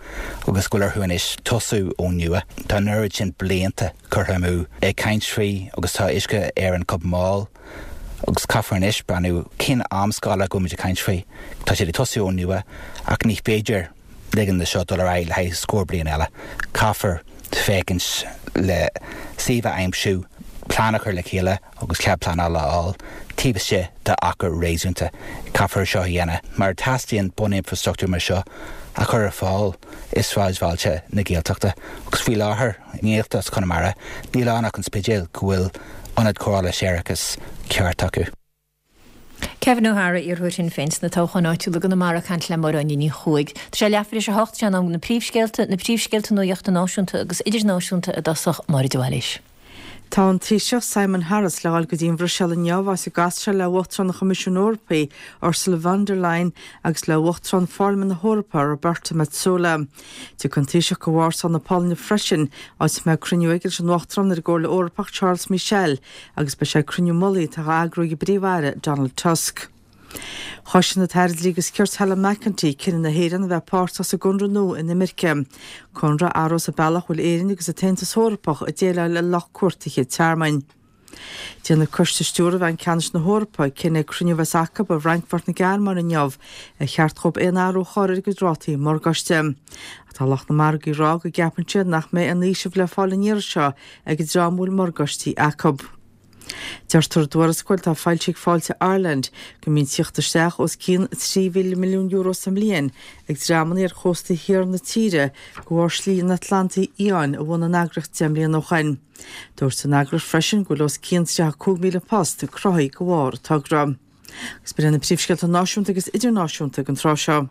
agus go bhfuil orthu anois tosú ón nua. Tá an oiread sin blianta curtha amú ag caint faoi agus tá Uisce Éireann chomh mall agus caithfear anois breathnú cén amscála go bhfuilimid ag caint faoi. Tá sé ag tosú ón nua ach ní féidir ligean dó seo dul ar aghaidh le haghaidh scór bliain eile. Caithfear féachaint le suíomh a aimsiú, plean a chur le chéile agus cead pleanála a fháil, taobh istigh d'achar réasúnta. Caithfear seo a dhéanamh mar teastaíonn buninfrastruchtúr mar seo a chur ar fáil i sráidbhailte na Gaeltachta agus faoi láthair i nGaeltacht Chonamara níl ann ach an Spidéal go bhfuil ionad cóireála séarachais ceart acu. Kevin O'Hara, iarrthóir Shinn Féin sna toghcháin áitiúla i gConamara ag caint le Máire Áine Ní Chuaig. Tá sé leathuair tar éis a hocht, sé in am na príomhscéalta, na príomhscéalta nuachta náisiúnta agus idirnáisiúnta i dtosach Máire de Bhailís. Tá an Taoiseach Simon Harris le dhul go dtí an Bhruiséil inniu áit a gcasfaidh sé le Uachtarán an Choimisiúin Eorpaigh Ursula von der Leyen agus le Uachtarán Pharlaimint na hEorpa Roberta Metsola. Tiocfaidh an Taoiseach go Vársá na Polainne freisin áit a mbeidh cruinniú aige leis an Uachtarán ar an gComhairle Eorpach Charles Michel agus beidh sé ag cruinniú mullaigh atá á eagrú ag an bPríomh-Aire Donald Tusk. Chosain an tAire Dlí agus Cirt Helen McEntee cinneadh na hÉireann a bheith páirteach sa gconradh nua inimirce. Conradh a athróidh an bealach bhfuil Éirinn agus an tAontas Eorpach ag déileáil le lucht cuartaithe tearmainn. Déanfaidh Coiste Stiúrtha Bhanc Ceannais na hEorpa cinneadh ag cruinniú a bheas acu i bhFrankfurt na Gearmáine inniu ar cheart dóibh aon athrú a chur ar a gcuid rátaí morgáiste. Tá lucht na margaí ag rá go gceapann siad nach mbeidh aon fhaoiseamh le fáil an iarraidh seo ag an dream a bhfuil morgáistí acu. Deirtear i dtuarascáil atá foilsithe ag Fáilte Ireland go mbíonn tíocht isteach os cionn trí mhíle milliún euro sa mbliain ag dreamanna ar chósta thiar na tíre de bharr slí an Atlantaigh Fhiáin a bhunaigh an eagraíocht deich mbliana ó shin. Dúirt an eagraíocht freisin go bhfuil os cionn tríocha cúig míle post cruthaithe de bharr an togra. Agus b'in na príomhscéalta náisiúnta agus idirnáisiúnta den tráth seo.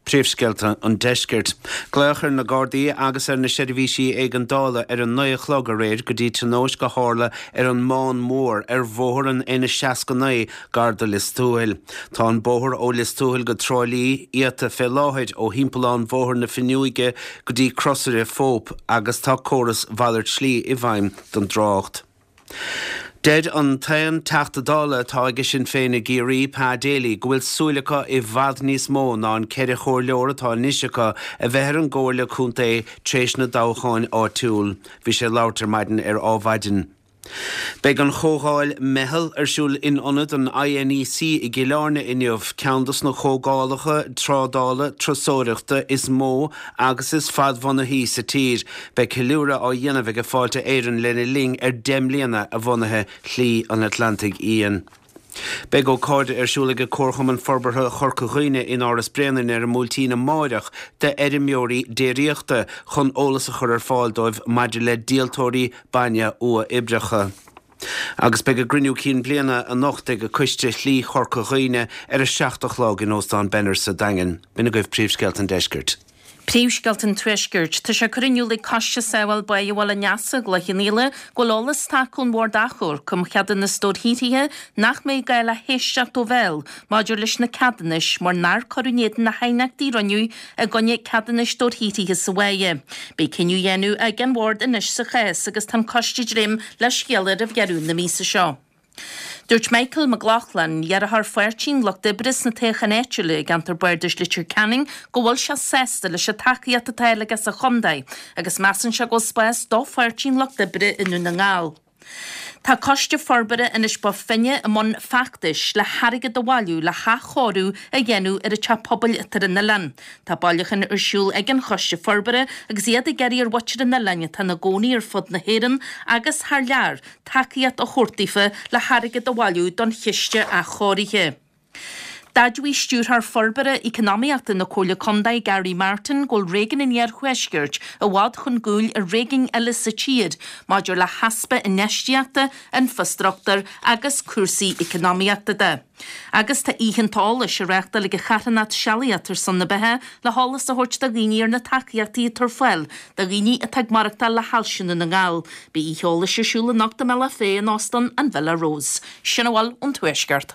Príomhscéalta an Deiscirt. Glaoch ar na Gardaí agus ar na seirbhísí éigeandála ar an naoi a chlog aréir go dtí tionóisc a tharla ar an mBán Mór ar bhóthar an N seasca naoi gar do Lios Tuathail. Tá an bóthar ó Lios Tuathail go Trá Lí iata fé láthair ó thimpeallán Bhóthar na Finneoige go dtí Crosaire Phope agus tá córas mhalairt slí i bhfeidhm don dtrácht. Deir an t-aon Teachta Dála atá ag Sinn Féin i gCiarraí, Pa Daly, go bhfuil súil acu i bhfad níos mó ná an ceithre chomhairleoir atá anois acu a bheith ar an gComhairle Contae tar éis na dtoghcháin áitiúil. Bhí sé ag labhairt ar maidin ar Adhmhaidin. Beidh an chomhdháil Meitheal ar siúl in ionad an I N E C i gCill Airne inniu, ceann dos na comhdhálacha trádála turasóireachta is mó agus is fadbhunaithí sa tír. Beidh ceiliúradh á dhéanamh ag Fáilte Éireann lena linn ar deich mbliana a bhunaithe Shlí an Atlantaigh Fhiáin. Beidh ócáid ar siúl ag Comharchumann Forbartha Chorca Dhuibhne in Áras Bréanainn ar an mBuailtín amárach d'fheirmeoirí déiríochta chun eolas a chur ar fáil dóibh maidir le díoltóirí bainne uathoibríocha. Agus beidh a gcruinniú cinn bliana anocht ag Coiste Shlí Chorca Dhuibhne ar a seacht a chlog in Óstán Benner sa Daingean. B'in agaibh príomhscéalta an Deiscirt. Príomhscéalta an Tuaiscirt. Tá sé curtha in iúl ag Coiste Sábháil Báighe Bhaile an Easa i gCloich Cheann Fhaola go bhfuil eolas tagtha ón Bhord Achomhairc um Cheadúnas Dobharshaothraithe nach mbeidh gá le héisteacht ó bhéal maidir leis na ceadúnais mar nár cuireadh in éadan na haighneachtaí a rinneadh i gcoinne ceadúnais dobharshaothraithe sa bhaile. Beidh cinneadh á dhéanamh ag an Bhord anois sa chás agus tá an coiste ag dréim le scéala roimh dheireadh na míosa seo. Dúirt Michael McLaughlin, iarrthóir Pháirtí an Lucht Oibre sna toghcháin áitiúla i gceantar Bardais Leitir Ceanainn go bhfuil sé sásta leis an tacaíocht atá aige sa chontae agus measann sé go bhfuil spás do Pháirtí an Lucht Oibre i nDún na nGall. Tá Coiste Forbartha Inis Bó Finne i mbun feachtais le hairgead a bhailiú le hathchóiriú a dhéanamh ar an teach pobail atá ar an oileán. Tá bailiúchán ar siúl ag an Choiste Forbartha agus iad ag iarraidh ar mhuintir an oileáin atá ina gcónaí ar fud na hÉireann agus thar lear tacaíocht a thabhairt daofa le hairgead a bhailiú don chiste athchóirithe. D'admhaigh Stiúrthóir Forbartha Eacnamaíochta na Comhairle Contae Gary Martin go bhfuil réigiún an Iarthuaiscirt i bhfad chun cúil ar réigiúin eile sa tír maidir le heaspa infheistíochta, infreastruchtúir agus cúrsaí eacnamaíochta de. Agus tá oícheanta eolais á reáchtáil ag an charthanacht Sealaíocht ar son na Beatha le heolas a thabhairt do dhaoine ar na tacaíochtaí atá ar fáil do dhaoine atá ag maireachtáil le hailse na nGal. Beidh oíche eolais ar siúl anocht i mBealach Féich in Óstán an Villa Rose. Sin a bhfuil ón Tuaisceart.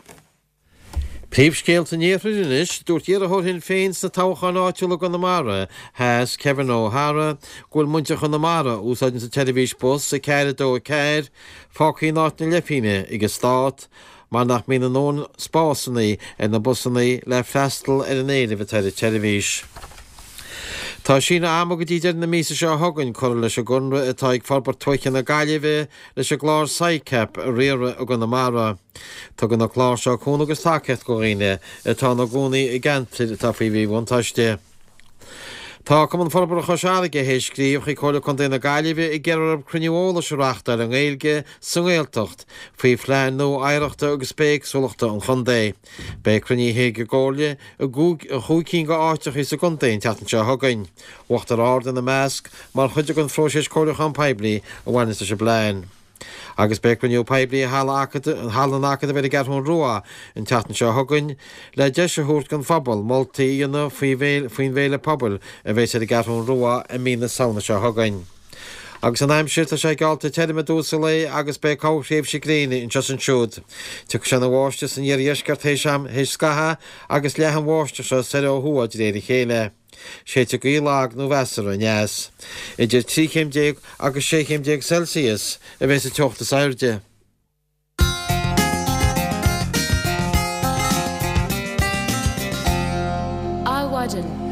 Príomhscéalta an Iarthair anois, dúirt iarrthóir Shinn Féin sna toghcháin áitiúla i gConamara Theas, Kevin O'Hara, go bhfuil muintir Chonamara a úsáideann an tseirbhís bus a ceathair a dó a ceathair fágtha in áit na leithphingne ag an stát mar nach mbíonn a ndóthain spásanna ar na busanna le freastal ar an éileamh atá ar an tseirbhís. Tá síneadh ama go dtí deireadh na míosa seo chugainn curtha leis an gconradh atá ag Forbairt Tuaithe na Gaillimhe leis an gclár SICAP a riaradh i gConamara. Tugann an clár seo cúnamh agus tacaíocht do dhaoine atá ina gcónaí i gceantair atá faoi mhíbhuntáiste. Tá Cumann Forbartha Chois Fharraige théis scríobh chuig Comhairle Contae na Gaillimhe ag iarraidh orthu cruinniú eolais a reáchtáil i nGaeilge sa nGaeltacht faoi phlean nua oidhreachta agus bithéagsúlachta an chontae. Beidh cruinnithe ag an gComhairle i gcúig cinn de áiteacha sa gcontae an tseachtain seo chugainn, Uachtar Ard ina measc, mar chuid den phróiseas comhairliúcháin poiblí a bhaineanns leis an bplean. Agus beidh cruinniú poiblí i Halla Halla an Acadaimh ar an gCeathrú Rua an tseachtain seo chugainn le deis a thabhairt don phobal moltaí a dhéanamh faoin bhféile pobail a bheas ar an gCeathrú Rua i mí na Samhna seo chugainn. Agus an aimsir, tá sé geallta tirim i dtús an lae agus beidh corrthréimhse gréine anseo is ansiúd. Tiocfaidh sé ina bháisteach san iardheisceart théis am, théis scaitheamh agus leathfaidh an bháisteach seo soir ó thuaidh de réir a chéile. Séidfidh gaoth lag nó mheasartha aneas. Idir trí chéim déag agus sé chéim déag Celsius a bheas an teocht is airde. Adhmhaidin.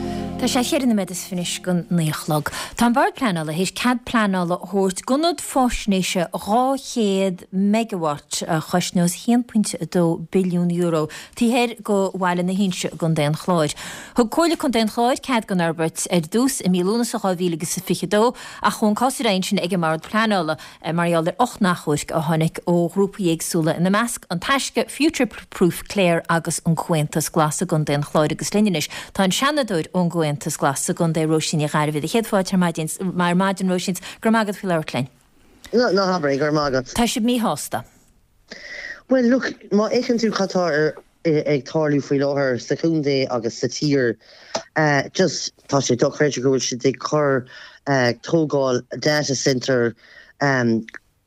Tá sé cheithre nóiméad is fiche anois don naoi a chlog. Tá an Bord Pleanála théis cead pleanála a thabhairt d'ionad faisnéise dhá chéad megawatt a chosnós a haon pointe a dó billiún euro taobh thoir de Bhaile na hInse i gContae an Chláir. Thug Comhairle Contae an Chláir cead don fhorbairt ar dtús i mí Lúnasa dhá mhíle agus a fiche dó ach chuaigh an cás ar aghaidh ansin ag an mBord Pleanála mar gheall ar ocht n-achomharc a tháinig ó ghrúpaí éagsúla, ina measc An Taisce, Future Proof Clare agus an Comhaontas Glas i gContae an Chláir agus linn anois tá an Seanadóir ón gComhaontas Glas sa gcontae, Róisín Ní Ghairbhí. Do chéad fáilte ar maidin, ar maidin Róisín, go raibh maith agat faoi labhairt linn. Ná ná habair é, go raibh maith agat. Tá sibh míshásta. Bhuel, look, má fhéachann tú cad tá ar ag tarlú faoi láthair sa chontae agus sa tír, just tá sé dochreidte go bhfuil siad ag cur tógáil data centre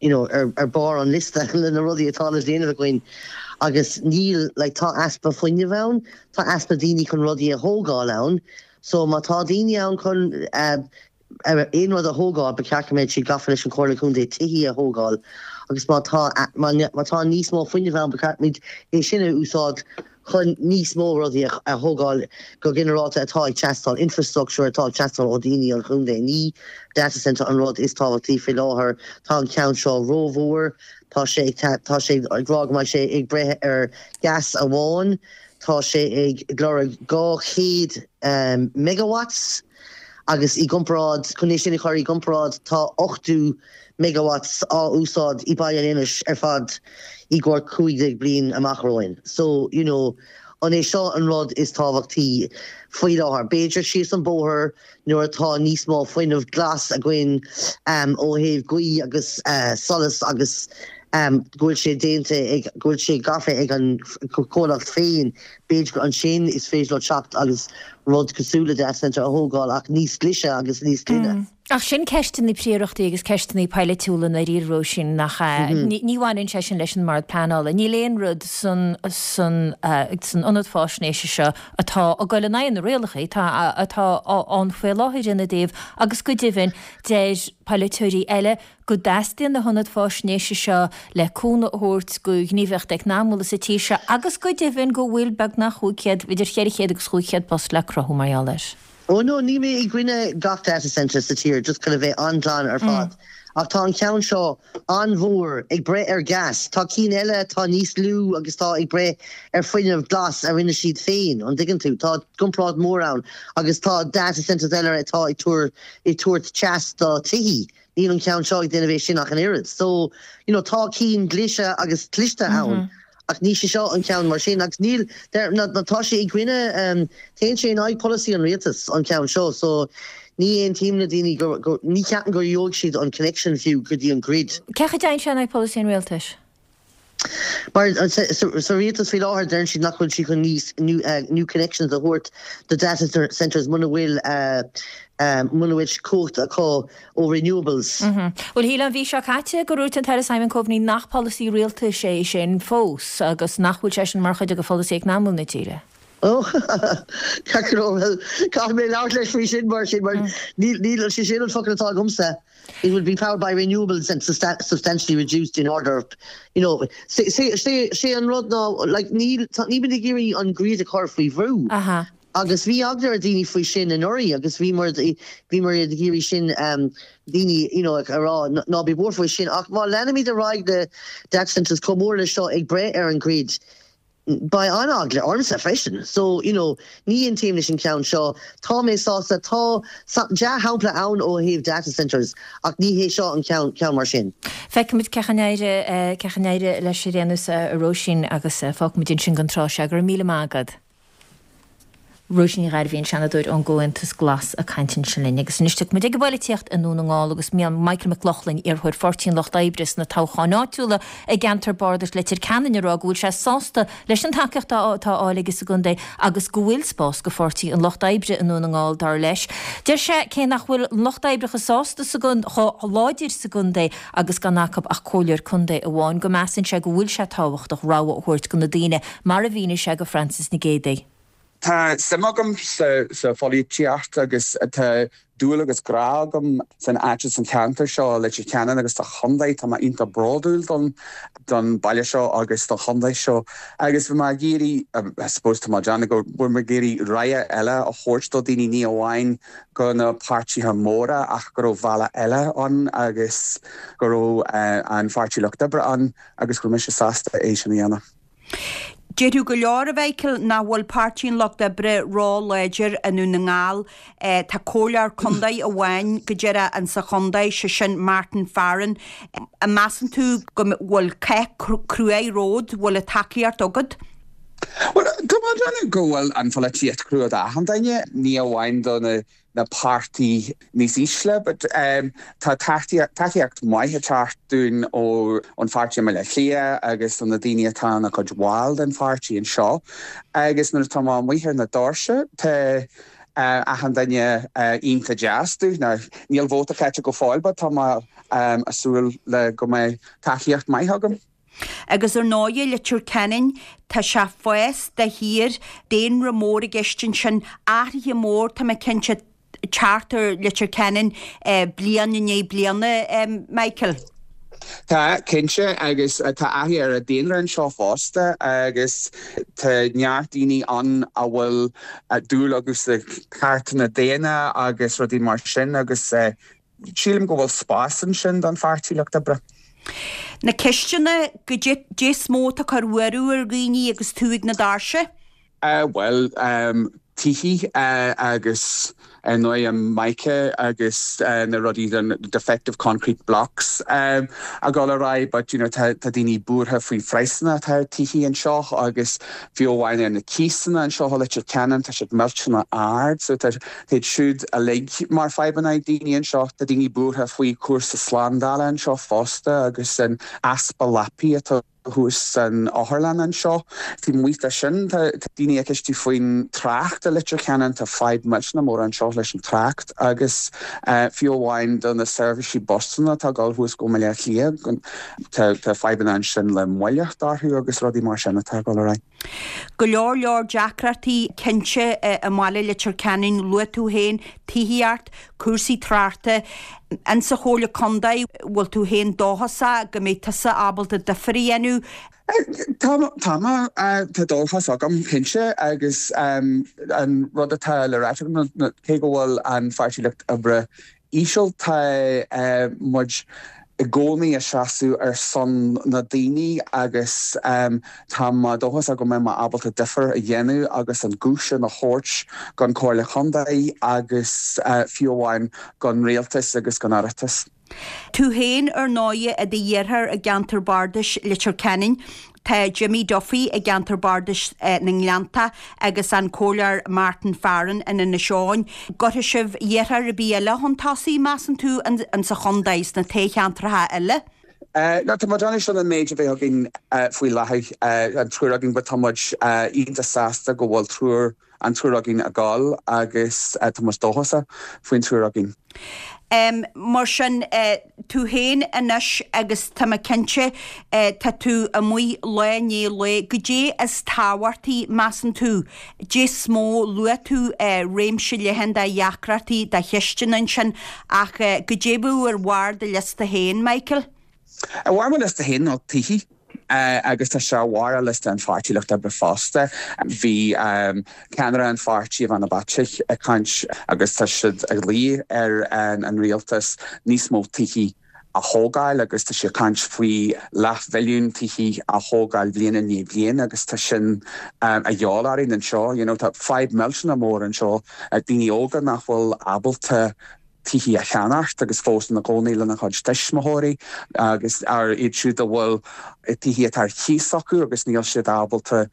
you know, ar, ar barr an liosta le na rudaí atá le déanamh againn agus níl, like, tá easpa fuinnimh ann, tá easpa daoine chun rudaí a thógáil ann, so má tá daoine ann chun eh, aon rud a thógáil, ba cheart go mbeadh siad gafa leis an Chomhairle Contae tithí a thógáil agus má tá, má, má tá níos mó fuinnimh ann ba cheart muid é sin a úsáid chun níos mó rudaí a thógáil go ginearálta atá ag teastáil, infrastructure atá ag teastáil ó dhaoine an chontae. Ní data centre an rud is tábhachtaí faoi láthair. Tá an ceann seo rómhór, tá sé ag tá sé ag rá go mbeidh sé ag breith ar gas amháin, tá sé ag lorg dhá chéad megawatts agus i gcomparáid, chun é sin a chur i gcomparáid, tá ochtó megawatts á úsáid i Baile an Inis ar fad i gcomhair cúig déag bliain amach romhainn. So, you know, an é seo an rud is tábhachtaí faoi láthair? B'fhéidir síos an bóthar nuair atá níos mó fuinneamh glas againn ó thaobh gaoth agus solas agus go bhfuil sé déanta ag, go bhfuil sé gafa ag an chomhlacht féin, b'fhéidir gur ansin is féidir leo teacht agus rud cosúil le data centre a thógáil ach níos glaise agus níos glaine. Ach sin ceisteanna príorachtaí agus ceisteanna poilitiúla i ndáiríre, Róisín, nach ea? Ní bhaineann sé sin leis an mBord Pleanála. Níl aon rud san san san ionad fáisnéise seo atá ag dul in aghaidh na rialacha atá atá ann faoi láthair ina dtaobh agus go deimhin deir polaiteoirí eile go dteastaíonn na hionaid fáisnéise seo le cúnamh a thabhairt do ghníomhaíocht eacnamúla sa tír seo agus go deimhin go bhfuil beagnach chúig chéad, idir cheithre chéad agus chúig chéad post le cruthú mar gheall air. Oh no, níl mé i gcoinne gach data center sa tír just chun a bheith an-ghlan ar fad. Mm. Ach tá an ceann seo an-mhór ag breith ar gas, Tá cinn eile tá níos lú agus tá ag breith ar fuinneamh glas a rinne siad féin an dtuigeann tú, Tá comparáid mór ann agus tá data centers eile atá ag ag tabhairt teas do tithe. Níl an ceann seo ag déanamh é sin ach an oiread. So you know, tá cinn glaise agus cliste ann. Mm -hmm. ach ní sé seo an ceann mar sin agus níl tá sé i gcoinne um, téann sé in aghaidh polasaí an rialtais an ceann seo so ní aontaím na daoine ní ceapaim gur gheobhaidh siad an connection fiú go dtí an grid. Cé a dtéann sé in aghaidh polasaí an rialtais? Mar sa rialtas faoi láthair deireann siad nach bhfuil siad chun níos new, uh, new connections a thabhairt do data centers muna bhfuil uh, um, muna bhfuil cumhacht acu ó renewables. Mm -hmm. Well shíl an mhí seo caite gur dhúirt an tAire Simon Coveney nach polasaí rialtais é sin fós agus nach bhfuil sé sin mar chuid de pholasaí eacnamaíoch na tíre. Oh Caithfidh mé labhairt leis faoi sin mar sin mar níl sé sin an focal atá agamsa. It would be powered by renewables and substantially reduced in order of, you know sé an rud ná like ní ní bin géirí an grid a chur faoi bhrú. Agus bhí eagla ar daoine faoi sin anuraidh agus bhí mar bhí mar ag iarraidh sin um, daoine you know, a rá ná bí buartha faoi sin ach má leanaimid ar aghaidh le data centers chomh mór le seo ag breith ar an grid. Beidh an-eagla ormsa freisin. So you know, ní aontaím leis an ceann seo tá mé sásta tá dea-shampla ann ó thaobh data centers ach ní hé seo an ceann ceann mar sin. Feicfimid cén chaoi a cén chaoi a n-éireoidh leis ar aon nós a Róisín agus fágfaimid ansin don tráth seo go raibh míle maith agat. Róisín Ní Ghairbhí an Seanadóir ón gComhaontas Glas ag caint ansin linn agus anois muid ag polaitíocht i nDún na nGall agus Michael McLaughlin iarrthóir Pháirtí an Lucht Oibre sna toghcháin áitiúla i gceantar bardais Leitir Ceanainn ag rá go bhfuil sé sásta leis an tacaíocht atá á fháil aige sa gcontae agus go bhfuil spás do Pháirtí an Lucht Oibre i nDún na nGall dar leis. Deir sé cé nach bhfuil an Lucht Oibre chomh sásta sa chomh láidir sa gcontae agus gan acu ach comhairleoir contae amháin go measann sé go bhfuil sé tábhachtach rogha a thabhairt do na daoine mar a mhínigh sé do Francis Nic Géadaigh. Tá suim agam sa, sa pholaitíocht agus tá dúil agus grá agam san áit san ceantar seo Leitir Ceanainn agus sa chontae tá mé iontach bródúil don don baile seo agus don chontae seo agus bhí mé ag iarraidh I suppose tá mé déanamh go bhfuil mé ag iarraidh rogha eile a thabhairt do daoine ní amháin go na páirtithe móra ach go raibh bealach eile ann agus go raibh uh, an Pháirtí Lucht Oibre ann agus go raibh mise sásta é sin a dhéanamh. Déarfadh go leor a Mhichael nach bhfuil Páirtí an Lucht Oibre ró-láidir i nDún na nGall Tá comhairleoir contae amháin go díreach in sa chontae sé sin Martin Farren. An measann tú go bhfuil cath crua romhat bhfuil an tacaíocht agat? Well tá déanamh go bhfuil an pholaitíocht crua d'achan duine ní amháin do na na páirtí níos ísle, but um, tá tacaíocht maith ag teacht dúinn ó an pháirtí Baile Átha Cliath agus na daoine atá ina gcuid bhaill den pháirtí anseo. agus nuair atá amuigh ar na doirse tá uh, achan duine uh, iontach deas dúinn na níl vóta caite go fóill, but tá um, ag súil le go mbeidh tacaíocht maith agam. Agus ar ndóigh Leitir Ceanainn tá sé ag fás de shíor daonra mór i gceist ansin athruithe mór tá mé cinnte teacht ar Leitir Ceanainn eh, bliain i ndiaidh bliana eh, Michael. Tá cinnte agus tá athrú ar an daonra anseo fosta agus tá neart daoine ann a bhfuil dúil agus cearta daonna agus rudaí mar sin agus sílim go bhfuil spás ansin don Pháirtí Lucht Oibre. Na ceisteanna go dé is mó atá ag cur buaireamh ar dhaoine agus tú ag na doirse? Uh, well um, tithe uh, agus ar ndóigh an mica agus uh, na rudaí den defective concrete blocks um, a gáil rá, but you know, tá daoine buartha faoi phraghsanna atá tithe anseo agus fiú amháin ar na cíosanna anseo Leitir Ceanainn tá siad millteanach ard, so tá siúd uilig mar fadhbanna daoine anseo tá daoine buartha faoi cúrsaí slándála anseo fosta agus an easpa leapaí atá thuas san otharlann anseo. Bhí muita sin daoine ag ceistiú faoin trácht i Leitir Ceanainn tá fadhb millteanach mór anseo leis an trácht agus uh, fiú amháin do na seirbhísí busanna atá ag dul thuas go Baile Átha Cliath tá fadhbanna ansin le moilleacht orthu agus rudaí mar sin atá ag dul ar aghaidh. Go leor leor deacrachtaí cinnte i mbaile Leitir Ceanainn luaigh tú féin tithíocht cúrsaí tráchta an sa chomhairle contae bhfuil tú féin dóchasach go mbeidh tusa ábalta difear a dhéanamh. Tá tá tá dóchas agam cinnte agus um, an rud atá le rá cé go bhfuil an Pháirtí Lucht Oibre íseal tá uh, muid i gcónaí ag seasamh ar son na daoine agus um, tá dóchas agam go mbeidh mé ábalta difear a dhéanamh agus an guth sin a thabhairt don Chomhairle Contae agus uh, fiú amháin don rialtas agus don Oireachtas. Tú féin ar ndóigh i do dheartháir i gceantar bardais Leitir Ceanainn, tá Jimmy Duffy i gceantar bardais na nGleannta agus an Comhairleoir Martin Farren in Inis Eoghain. Gcuirfidh sibh iarrthóir ar bith eile chun tosaigh, measann tú, insa chontae sna toghcheantracha eile? No, tá muid anois an méid a bheith againn faoi láthair, an triúr againn, but tá muid iontach sásta go bhfuil triúr an triúr againn ag gabháil agus tá muid dóchasach faoin triúr againn. Mar sin, tú féin anois agus tá mé cinnte, tá tú amuigh lá i ndiaidh lae, goidé is tábhachtaí, measann tú, goidé is mó, luaigh tú réimse leathan de dheacrachtaí, de cheisteanna ansin, ach goidé a bheadh ar bharr do liosta féin, Michael? Ar bharr mo liosta féin ná tithe. Agus tá sé ar bharr liosta an Pháirtí Lucht Oibre fosta. Bhí ceannaire an pháirtí Ivana Bacik ag caint agus tá siad ag luí ar an rialtas níos mó tithe a thógáil agus tá sé ag caint faoi leathmhilliún tithe a thógáil bliain i ndiaidh bliain agus tá sin a dhíobháil orainn anseo. You know, tá fadhb millteanach mór anseo, daoine óga nach bhfuil ábalta tithe a cheannacht agus fós ina gcónaí lena gcuid tuismitheoirí agus ar iad siúd a bhfuil tithe atá ar cíos acu agus níl siad ábalta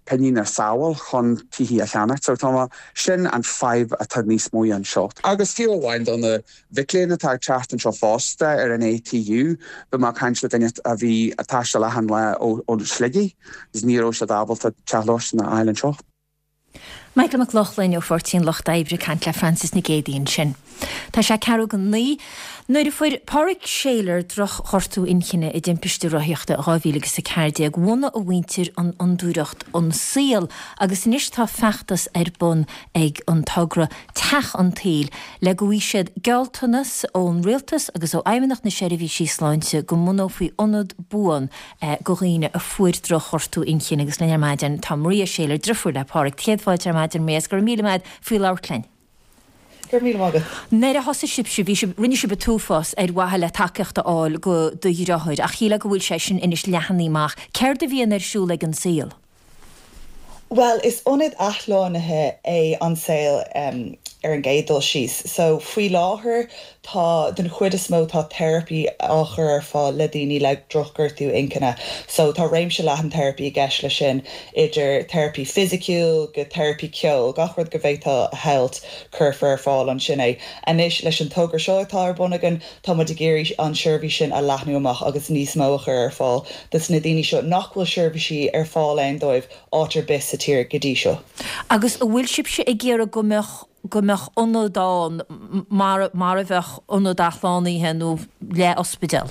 pingin a shábháil chun tithe a cheannacht. So tá sin an fadhb atá níos mó anseo. Agus fiú amháin do na mhic léinn atá ag teacht anseo fosta ar an A T U, bhí mé ag caint le duine a bhí ag taisteal achan lá ó Shligigh is ní raibh siad ábalta teach lóistín a fháil anseo. Michael Mac Lochlainn ó Pháirtí an Lucht Oibre ag caint le Frances Nic Géadaigh ansin. Tá sé ceathrú go naoi. Nuair a fuair Pádraig Shayler drochghortú inchinne i dtimpiste rothaíochta dhá mhíle agus a ceathair déag, bhunaigh a mhuintir an fhondúireacht An Saol agus anois tá feachtas ar bun ag an togra Teach an tSaoil le go bhfaighidh siad gealltanas ón rialtas agus ó Fheidhmeannacht na Seirbhísí Sláinte go mbunófaí ionad buan go dhaoine a fuair drochghortú inchinne agus linn ar maidin tá Maria Shayler, deirfiúr le Pádraig. Céad fáilte ar maidin Maria, go raibh míle maith faoi labhairt linn. Go raibh míle maith agat. Nuair a thosaigh sibhse, bhí sibh, rinne sibh an t-uafás ar mhaithe le tacaíocht a fháil go do dheartháir, ach shílfeá go bhfuil sé sin anois leathnaithe amach. Céard a bhíonn ar siúl ag An Saol? Bhuel, is ionad athshlánaithe é An Saol um, ar an gcéad dul síos. So faoi láthair tá den chuid is mó tá teiripí á chur ar fáil le daoine le drochghortú inchinne. So tá réimse leathan teiripí i gceist leis sin idir teiripí fisiciúil go teiripí ceoil, gach rud go bhféadfá a shamhlú cuirfear ar fáil ansin é. Anois leis an togra seo atá ar bun againn, tá muid ag iarraidh an seirbhís sin a leathnú amach agus níos mó a chur ar fáil dos na daoine seo nach bhfuil seirbhísí ar fáil ann dóibh áit ar bith sa tír go dtí seo. Agus an bhfuil sibhse ag iarraidh go mbeadh go mbeadh ionad ann mar mar a bheadh ionad athshlánaithe nó le ospidéal?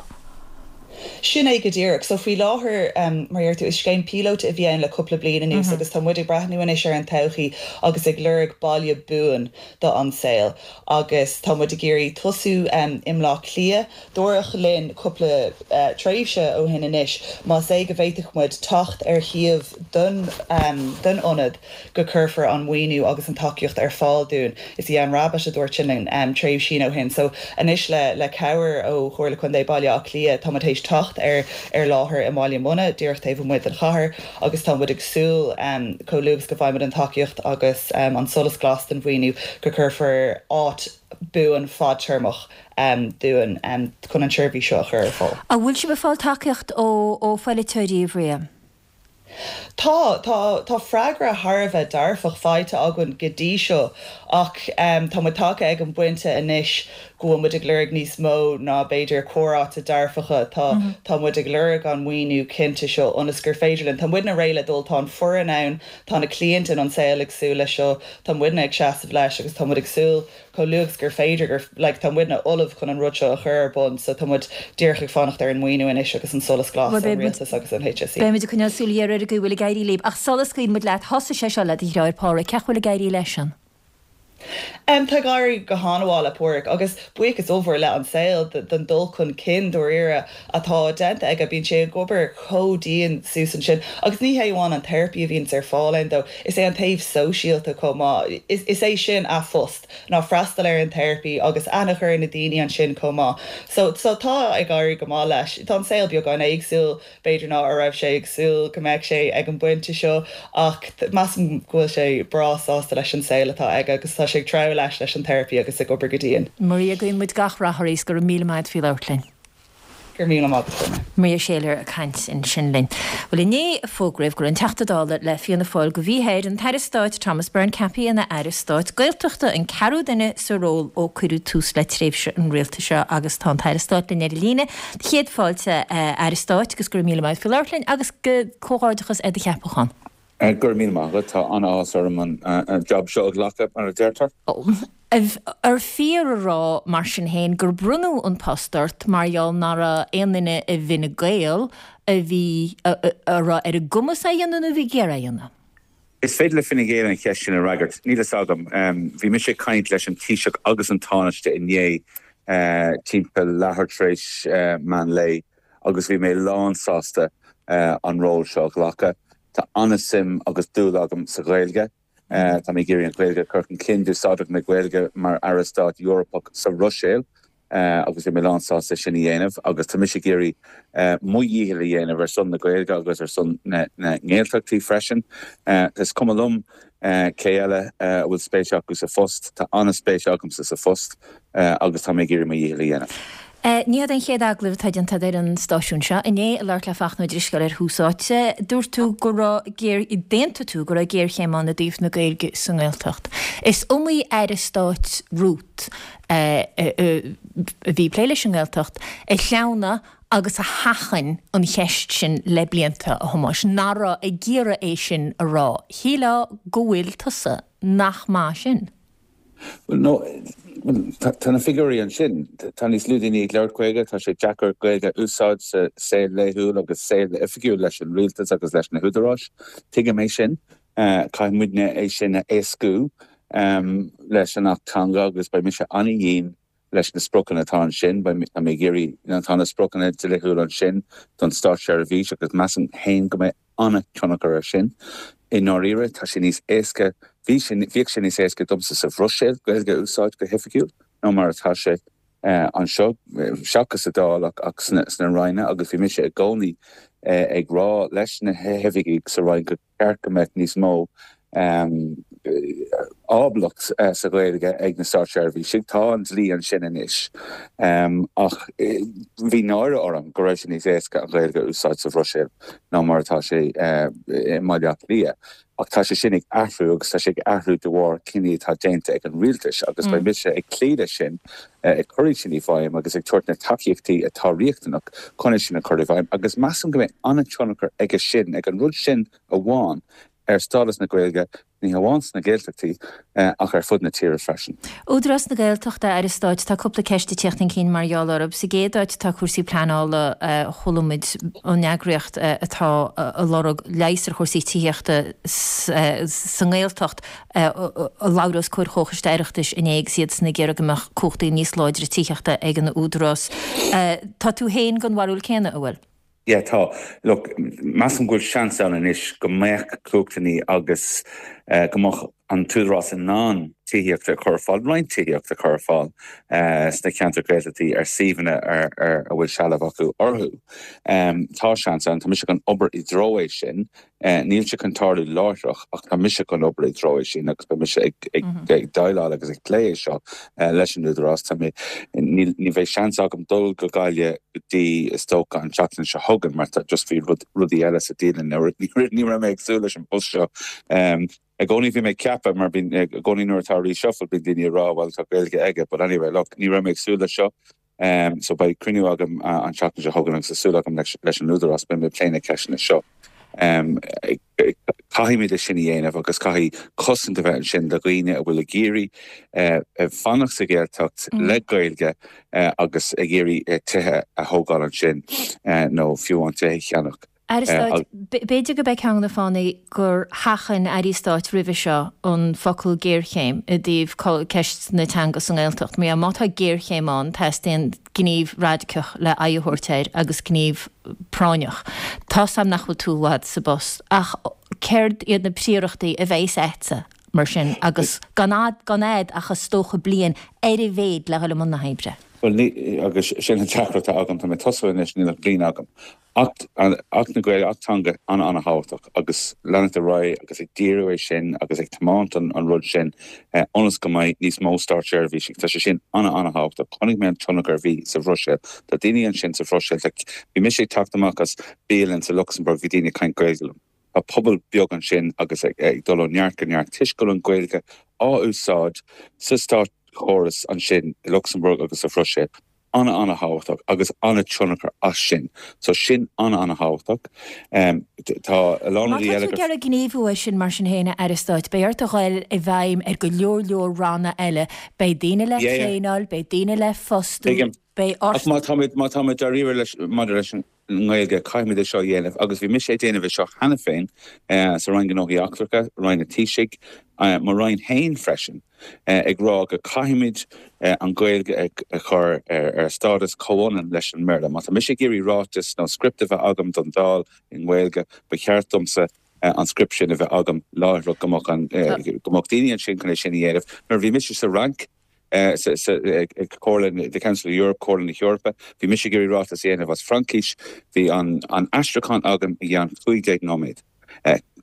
Sin é go díreach. So faoi láthair um, mar tú is scéim píolóta a bhí ann le cúpla bliain anuas mm -hmm. agus tá muid ag breathnú anois ar an todhchaí agus ag lorg baile buan do An Saol agus tá muid ag iarraidh tosú um, i mBleá Cliath dúradh linn cúpla uh, tréimhse ó shin anois más é go bhféadfadh muid teacht ar shuíomh don um, don ionad go cuirfear an maoiniú agus an tacaíocht ar fáil dúinn. Is í an Rabbitte a dúirt sin um, tréimhse ó shin. So anois le le cabhair ó Chomhairle Contae Baile Átha Cliath tá muid théis teacht ar ar láthair i mBaile Munna díreach taobh amuigh den chathair agus tá muid ag súil um, chomh luath is go bhfaighimid an tacaíocht agus um, an solas glas den mhaoiniú go cuirfear áit buan fadtéarmach um, dúinn um, chun an tseirbhís seo a chur ar fáil. An bhfuil sibh ag fáil tacaíocht ó ó pholaiteoirí a Mharia? Tá tá tá freagra thar a bheith dearfach faighte againn go dtí seo ach um, tá muid tagtha ag an bpointe anois go bhfuil muid ag lorg níos mó ná b'fhéidir comhráite dearfacha tá mm -hmm. tá muid ag lorg an maoiniú cinnte seo ionas gur féidir linn. Tá muidne réidh le dul tá an foireann ann tá na cliaint in An Saol ag súil leis seo tá muidne ag seasamh leis agus tá muid ag súil chomh luath gur féidir gur like, tá muidne ullamh chun an rud seo a chur ar bun so tá muid díreach ag fanacht ar an maoiniú anois agus an solas glas an rialtas agus an H S E. Beimid ag coinneáil súil ar go bhfuil ag éirí libh ach sula scaoilfidh muid leat thosaigh sé seo le do dheartháir Pádraig cén chaoi bhfuil ag éirí leis an. Um, tá ag éirí go han-mhaith le Páraic agus buíochas ollmhór le An Saol don dul chun cinn dáiríre atá déanta aige bíonn sé ag obair chomh dian suas ansin agus ní hé amháin an therapy a bhíonn ar fáil ann dó is é an taobh sóisialta chomh maith is, is é sin a phost ná freastal ar an therapy agus aithne a chur ar na daoine ansin chomh maith. So, so tá ag éirí go maith leis. Tá an saol beagán éagsúil b'fhéidir ná a raibh sé ag súil go mbeadh sé ag an bpointe seo ach measaim go bhfuil sé breá sásta leis an saol atá aige agus tá sé ag treabhadh leis leis an therapy agus ag obair go dian. Maria guíonn muid gach rath ort go raibh míle maith faoi labhairt linn. Gur míle maith Maria Shayler ag caint ansin linn. Well inné fógraíodh go raibh an Teachta Dála le Fianna Fáil go bhí an tAire Stáit Thomas Byrne ceaptha ina Aire Stáit Gaeltachta an ceathrú duine sa ról ó cuireadh tús le tréimhse an rialtais seo agus tá an tAire Stáit linn ar an líne. Céad fáilte Aire Stáit agus go raibh míle maith faoi labhairt linn agus go comhghairdeachas ar do cheapachán. Gur mí maith tá an-áthas orm an job seo a ghlacadh mar a deirtear. Ar fíor a rá mar sin féin gur bronnadh an post ort mar gheall nach raibh aon duine i bhFine Gael a bhí a raibh ar a gcumas é a dhéanamh nó bhí ag iarraidh é a dhéanamh. Is féidir le Fine Gael an cheist sin a fhreagairt. Níl a fhios agam. Bhí mise ag caint leis an Taoiseach agus an Tánaiste inné timpeall leathuair tar éis meán lae agus bhí mé lánsásta an ról seo a ghlacadh. Tá an-suim agus dúil agam sa Ghaeilge. Tá mé ag iarraidh an Ghaeilge a chur chun cinn d'úsáidfeadh mé Gaeilge mar Aire Stáit Eorpach sa Bhruiséil agus bhí mé lánsásta sin a dhéanamh agus tá mise ag iarraidh mo dhícheall a dhéanamh ar son na Gaeilge agus ar son na nGaeltachtaí freisin. Is cuma liom cé eile a bhfuil spéis acu sa phost, tá an-spéis agamsa sa phost agus tá mé ag iarraidh mo dhícheall a dhéanamh. Ní hé an chéad agallamh atá déanta ar an stáisiún seo. Inné ag labhairt le Fachtna Ó Drisceoil ar Thús Áite, dúirt tú go raibh géar d'aontaigh tú go raibh géarchéim ann i dtaobh na Gaeilge sa nGaeltacht. Is iomaí aire stáit romhat a bhí ag plé leis an nGaeltacht a shleamhnaigh agus a sheachain an cheist sin le blianta a Thomáis, nach raibh ag iarraidh é sin a rá. Shílfeá go bhfuil tusa nach maith sin. Well no, tá na figiúirí ansin, tá níos lú daoine ag labhairt Gaeilge, tá sé deacair Gaeilge a úsáid sa saol laethúil agus saol oifigiúil leis an rialtas agus leis na húdaráis. Tuigim é sin, caithfidh muidne é sin a éascú leis an Acht Teanga agus beidh mise an-dhian leis na spriocanna atá ansin, beidh mé ag iarraidh, tá na spriocanna dlíthiúil ansin don státseirbhís agus measaim féin go mbeidh an-tionchar air sin. I ndáiríre, tá sé níos éasca, bhí sé, bhíodh sé níos éasca domsa sa Bhruiséil Gaeilge a úsáid go hoifigiúil ná mar atá sé anseo, seachas sa Dáil ach, ach sna, sna Ranna agus bhí mise i gcónaí ag rá leis na hoifigigh sa Roinn gur cheart go mbeadh níos mó ábalacht sa Ghaeilge ag na státseirbhísigh. Tá an dlí ansin anois ach bhí náire orm go raibh sé níos éasca an Ghaeilge a úsáid sa Bhruiséil ná mar atá sé i mBaile Átha Cliath. Ach tá sé sin ag athrú agus tá sé ag athrú de bharr cinní atá déanta ag an rialtas agus beidh mise ag cloí leis sin, ag cur iad sin i bhfeidhm agus ag tabhairt na tacaíochtaí atá riachtanach chun é sin a chur i bhfeidhm agus measaim go mbeidh an-tionchar aige sin, ag an rud sin amháin, ar stádas na Gaeilge, ní hamháin sna Gaeltachtaí ach ar fud na tíre freisin. Údarás na Gaeltachta, Aire Stáit, tá cúpla ceist ag teacht chun cinn mar gheall orthu. Sa gcéad áit tá cúrsaí pleanála, chuala muid an eagraíocht atá ag lorg leigheas ar chúrsaí tithíochta sa nGaeltacht ag labhairt os comhair Chomhchoiste Oireachtais inné agus iadsan ag iarraidh go mbeadh cumhachtaí níos láidre tithíochta ag an Údarás. Tá tú féin den bharúil céanna, an bhfuil? Yeah, tá. Look, measaim go bhfuil seans ann anois go mbeadh cumhachtanna agus go mbeadh an tÚdarás in ann tithíocht a chur ar fáil, roinnt tithíocht a chur ar fáil sna ceantair Ghaeltachtaí ar suíomhanna ar a bhfuil sealbh acu orthu. Tá seans ann, tá mise chun obair i dtreo é sin. Níl sé chun tarlú láithreach ach tá mise chun obair i dtreo é sin agus beidh mise ag déileáil agus ag plé é seo leis an Údarás. Tá mé, ní bheidh seans agam dul go Gaillimh go dtí is dócha an tseachtain seo chugainn mar tá just bhí rudaí eile sa dialann. Ní raibh mé ag súil leis an bpost seo. I gcónaí bhí mé ag ceapadh mar bíonn i gcónaí nuair atá reshuffle bíonn daoine ag rá bhuel tá Gaeilge aige but anyway look ní raibh mé ag súil leis seo. So beidh cruinniú agam an tseachtain seo chugainn agus tá súil agam leis an Údarás beidh mé ag plé na ceisteanna seo. Caithfimid é sin a dhéanamh agus caithfidh cosaint a bheith ansin do dhaoine a bhfuil ag iarraidh fanacht sa Ghaeltacht le Gaeilge agus ag iarraidh tithe a thógáil ansin nó fiú amháin tithe a cheannach. Aire Stáit, b'fhéidir gurb é ceann de na fáthanna gur sheachain Airí Stáit roimhe seo an focal géarchéim i dtaobh ceist na teanga sa nGaeltacht. Mar má tá géarchéim ann, teastaíonn gníomh radacach le aghaidh a thabhairt air agus gníomh práinneach. Tá's a'm nach bhfuil tú i bhfad sa bpost, ach céard iad na príorachtaí a bheas a'dsa mar sin agus gan gan fhad ach is dócha bliain ar a mhéad le dhul i mbun na hoibre? Bhuel, agus sin an deacracht atá agam, tá mé ag tosú anois, níl ach bliain agam. Acht Acht na Gaeilge, Acht Teanga an-an-thábhachtach agus leanacht ar aghaidh agus ag díriú é sin agus ag tiomáint an an rud sin ionas go mbeidh níos mó státseirbhísigh. Tá sé sin an-an-thábhachtach. Chonaic mé an tionchar a bhí sa Bhruiséil. Tá daoine ansin sa Bhruiséil, bhí mise ag teacht amach as bialann sa Lucsamburg, bhí daoine ag caint Gaeilge liom. Tá pobal beag ansin agus ag dul ó neart go neart toisc go bhfuil an Ghaeilge á úsáid sa státchóras ansin i Lucsamburg agus sa Bhruiséil. An-an-thábhachtach agus an-tionchar as sin. So sin an-an-thábhachtach. Tá a lán Má rudaí tá eile tú ag iarraidh gníomhú air sin mar sin féin, a Aire Stáit, beidh ort a ghoil i bhfeidhm ar go leor leor ranna eile. Beidh daoine le Yeah, yeah. traenáil, beidh daoine le fostú, Tuigim. beidh Ach ort. má táimid, má táimid dáiríre leis, maidir leis an nGaeilge, caithfimid é seo a dhéanamh agus bhí mise ag déanamh é seo cheana féin sa Roinn Gnóthaí Eachtracha, Roinn an Taoisigh, mo Roinn féin freisin, ag rá go caithfimid an Ghaeilge a chur ar stádas comhionann leis an mBéarla. Má tá mise ag iarraidh ráiteas nó script a bheith agam don Dáil i nGaeilge, ba cheart domsa an script sin a bheith agam láithreach go mbeadh go mbeadh daoine ansin chun é sin a dhéanamh. Nuair a bhí mise sa Fhrainc, ag Comhairle the Council of Europe, Comhairle na hEorpa, bhí mise ag iarraidh ráiteas a dhéanamh as Fraincis, bhí an an aistriúchán agam i gceann cúig déag nóiméad.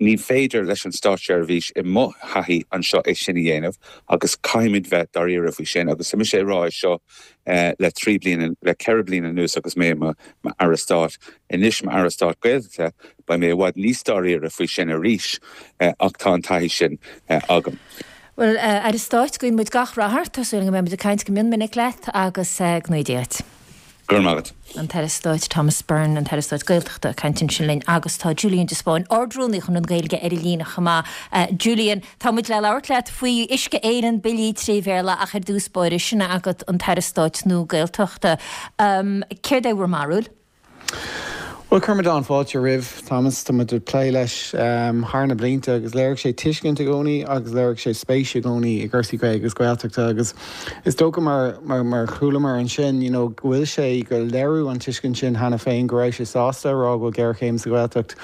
Ní féidir leis an státseirbhís i mo thaithí anseo é sin a dhéanamh agus caithfimid bheith dáiríre faoi sin agus tá mise ag rá é seo le trí bliana, le ceithre bliana anuas agus mé i mo Aire Stáit. Anois mar Aire Stáit Gaeltachta beidh mé i bhfad níos dáiríre faoi sin arís ach tá an taithí sin agam. Bhuel, a Aire Stáit, guíonn muid gach rath ort. Tá súil agam go mbeidh muid ag caint go mion minic leat agus go ngnóthaí Dia duit. Go raibh maith agat. An tAire Stáit Thomas Byrne, an tAire Stáit Gaeltachta, ag caint ansin linn agus tá Julian de Spáinn, Ard-Rúnaí Chonradh na Gaeilge ar an líne chomh maith. Julian, tá muid le labhairt leat faoi Uisce Éireann, billí trí Bhéarla ach ar dtús báire, sin agat an tAire Stáit nua Gaeltachta. Céard é bhur mbarúil? Bhuel, chuir muid an-fháilte roimh Thomas, tá muid ag plé leis thar na blianta agus léirigh sé tuiscint i gcónaí agus léirigh sé spéis i gcónaí i gcúrsaí Gaeilge agus Gaeltachta agus is dócha mar mar mar chualamar ansin you know go bhfuil sé go léiriú an tuiscint sin cheana féin go raibh sé sásta a rá go bhfuil géarchéim sa Ghaeltacht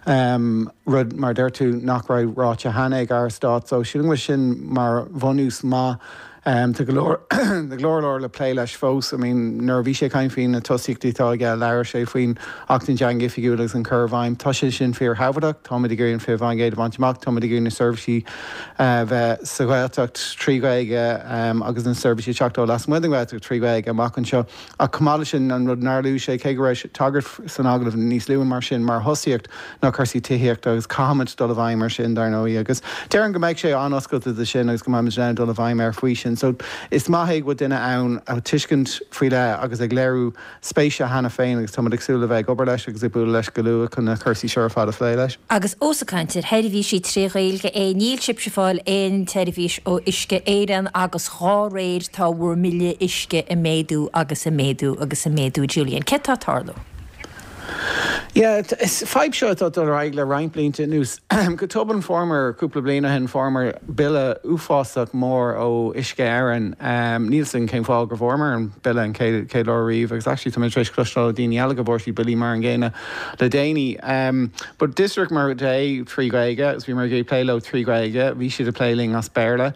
um, rud mar deir tú nach raibh ráite cheana ag Aire Stáit so sílim go bhfuil sin mar bhunús maith Tá go leor go leor leor le plé leis fós. I mean nuair a bhí sé ag caint faoi na tosaíochtaí atá aige, labhair sé faoin Acht na dTeangacha Oifigiúla agus an cur i bhfeidhm. Tá sé sin fíorthábhachtach. Táimid ag iarraidh an fiche faoin gcéad a bhaint amach, táimid ag iarraidh na seirbhísí a bheith sa Ghaeltacht trí Ghaeilge agus na seirbhísí ag teacht ó lasmuigh den Ghaeltacht trí Ghaeilge amach anseo. Ach chomh maith leis sin, an rud nár luaigh sé, cé go raibh tagairt san agallamh níos luaithe mar sin mar thosaíocht, ná cúrsaí tithíochta agus caithfimid dul i bhfeidhm air sin, dar ndóigh, agus déarfainn go mbeidh sé an-oscailte do sin agus go mbeimid in ann dul i bhfeidhm air faoi sin. So is maith é go bhfuil duine ann a tuiscint faoi leith agus ag léiriú spéise cheana féin agus táimid ag súil le bheith ag obair leis agus ag bualadh leis go luath chun na cúrsaí seo ar fad a phlé leis. Agus ós ag caint ar sheirbhísí trí Ghaeilge é, níl sibhse ag fáil aon tseirbhís ó Uisce Éireann agus dhá réir tá bhur mbille uisce ag méadú agus ag méadú agus ag méadú. Julian, céard tá ag tarlú? Yeah, is fadhb seo atá dul ar aghaidh le roinnt blianta anuas. Go tobann fuaireamar cúpla bliain ó shin fuaireamar bille uafásach mór ó Uisce Éireann. Níl 'fhios agam cén fáth gur bhfuaireamar an bille an chéad chéad uair riamh agus actually tá mé tar éis cloisteáil ó daoine eile go bhfuair siad billí mar an gcéanna le déanaí. But d'fhiosraigh muid é trí Ghaeilge agus bhíomar ag plé leo trí Ghaeilge, bhí siad ag plé linn as Béarla.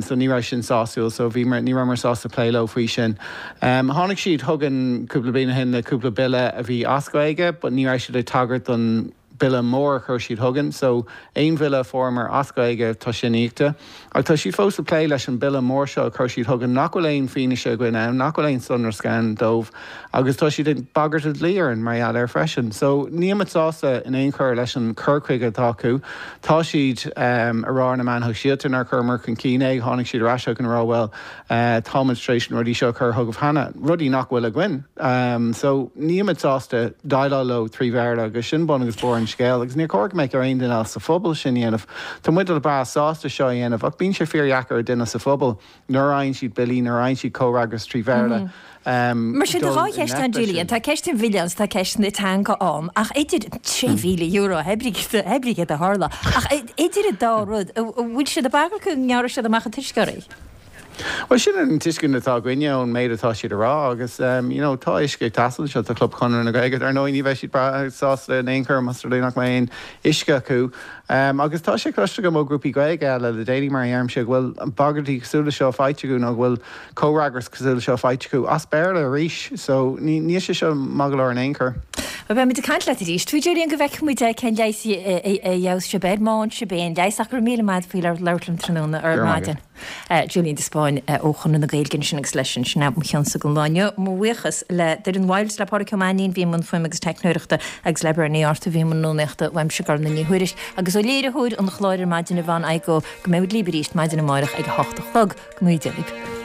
So ní raibh sin sásúil, so bhí ní rabhamar sásta plé leo faoi sin. Tháinig siad chugainn cúpla bliain ó shin le cúpla bille a bhí as Gaeilge, but ní raibh siad ag tagairt don bille mór a chuir siad chugainn. So aon bhille a fuaireamar as Gaeilge tá sin íoctha. Ach tá siad fós ag plé leis an bille mór seo a chuir siad chugainn nach bhfuil aon fianaise againn ann, nach bhfuil aon sonrasc ann dóibh agus tá siad ag bagairt an dlí orainn mar gheall air freisin. So nílimid sásta in aon chor leis an cur chuige atá acu. Tá siad ag rá ar na meáin shóisialta nár chuireamar chun cinn é, tháinig siad ar ais chugainn ag rá bhuel táimid tar éis na rudaí seo a chur chugaibh cheana, rudaí nach bhfuil againn. So nílimid sásta déileáil leo trí Bhéarla agus sin bun agus barr an scéal agus níor chóir go mbeadh ar aon duine eile sa phobal sin a dhéanamh. Tá muid breá sásta seo a dhéanamh ach bíonn sé fíordheacair ar duine sa phobal nuair a fhaigheann siad billí, nuair a fhaigheann siad comhfhreagras trí Bhéarla. Mar sin tá dhá cheist ann Julian, tá ceist an bhille ann tá ceist na teanga ann ach idir trí mhíle euro pé céard a tharla ach idir an dá rud, an bhfuil siad ag bagairt go ngearrfaidh siad amach an t-uisce oraibh? Bhuel sin an tuiscint atá againne ón méid atá siad a rá agus you know tá uisce ag teastáil anseo, tá Club Chonradh na Gaeilge, ar ndóigh ní bheidh siad breá sásta in aon chor más rud é nach mbeidh aon uisce acu. Agus tá sé cloiste agam ó ghrúpaí Gaeilge eile le déanaí mar a deirimse go bhfuil bagairtí cosúil le seo faighte acu nó go bhfuil comhfhreagras cosúil le seo faighte acu as Béarla arís so níl sé seo maith go leor in aon chor. Bhuel beimid ag caint leat arís. Faoi Julian go bhfeicfidh muid cén leigheas a gheobhas sibh air, má fhaigheann sibh aon leigheas ach go raibh míle maith agat faoi labhairt liom tráthnóna ar maidin. Julian de Spáinn ó Chonradh na Gaeilge ansin agus leis sin, sin é mo chionnsa don lá inniu. Mo bhuíochas le Doireann Wild, le Pádraic Ó Mainnín a bhí i mbun fuaime agus teicneoireachta agus le Bernie Arthur a bhí i mbun rúnaíochta uaimse Gormfhlaith Ní Thuairisg agus ó léiritheoir an chláir ar maidin Yvonne Igoe go mbeidh muid libh arís maidin amárach ag a hocht a chlog. Go mba Dia libh.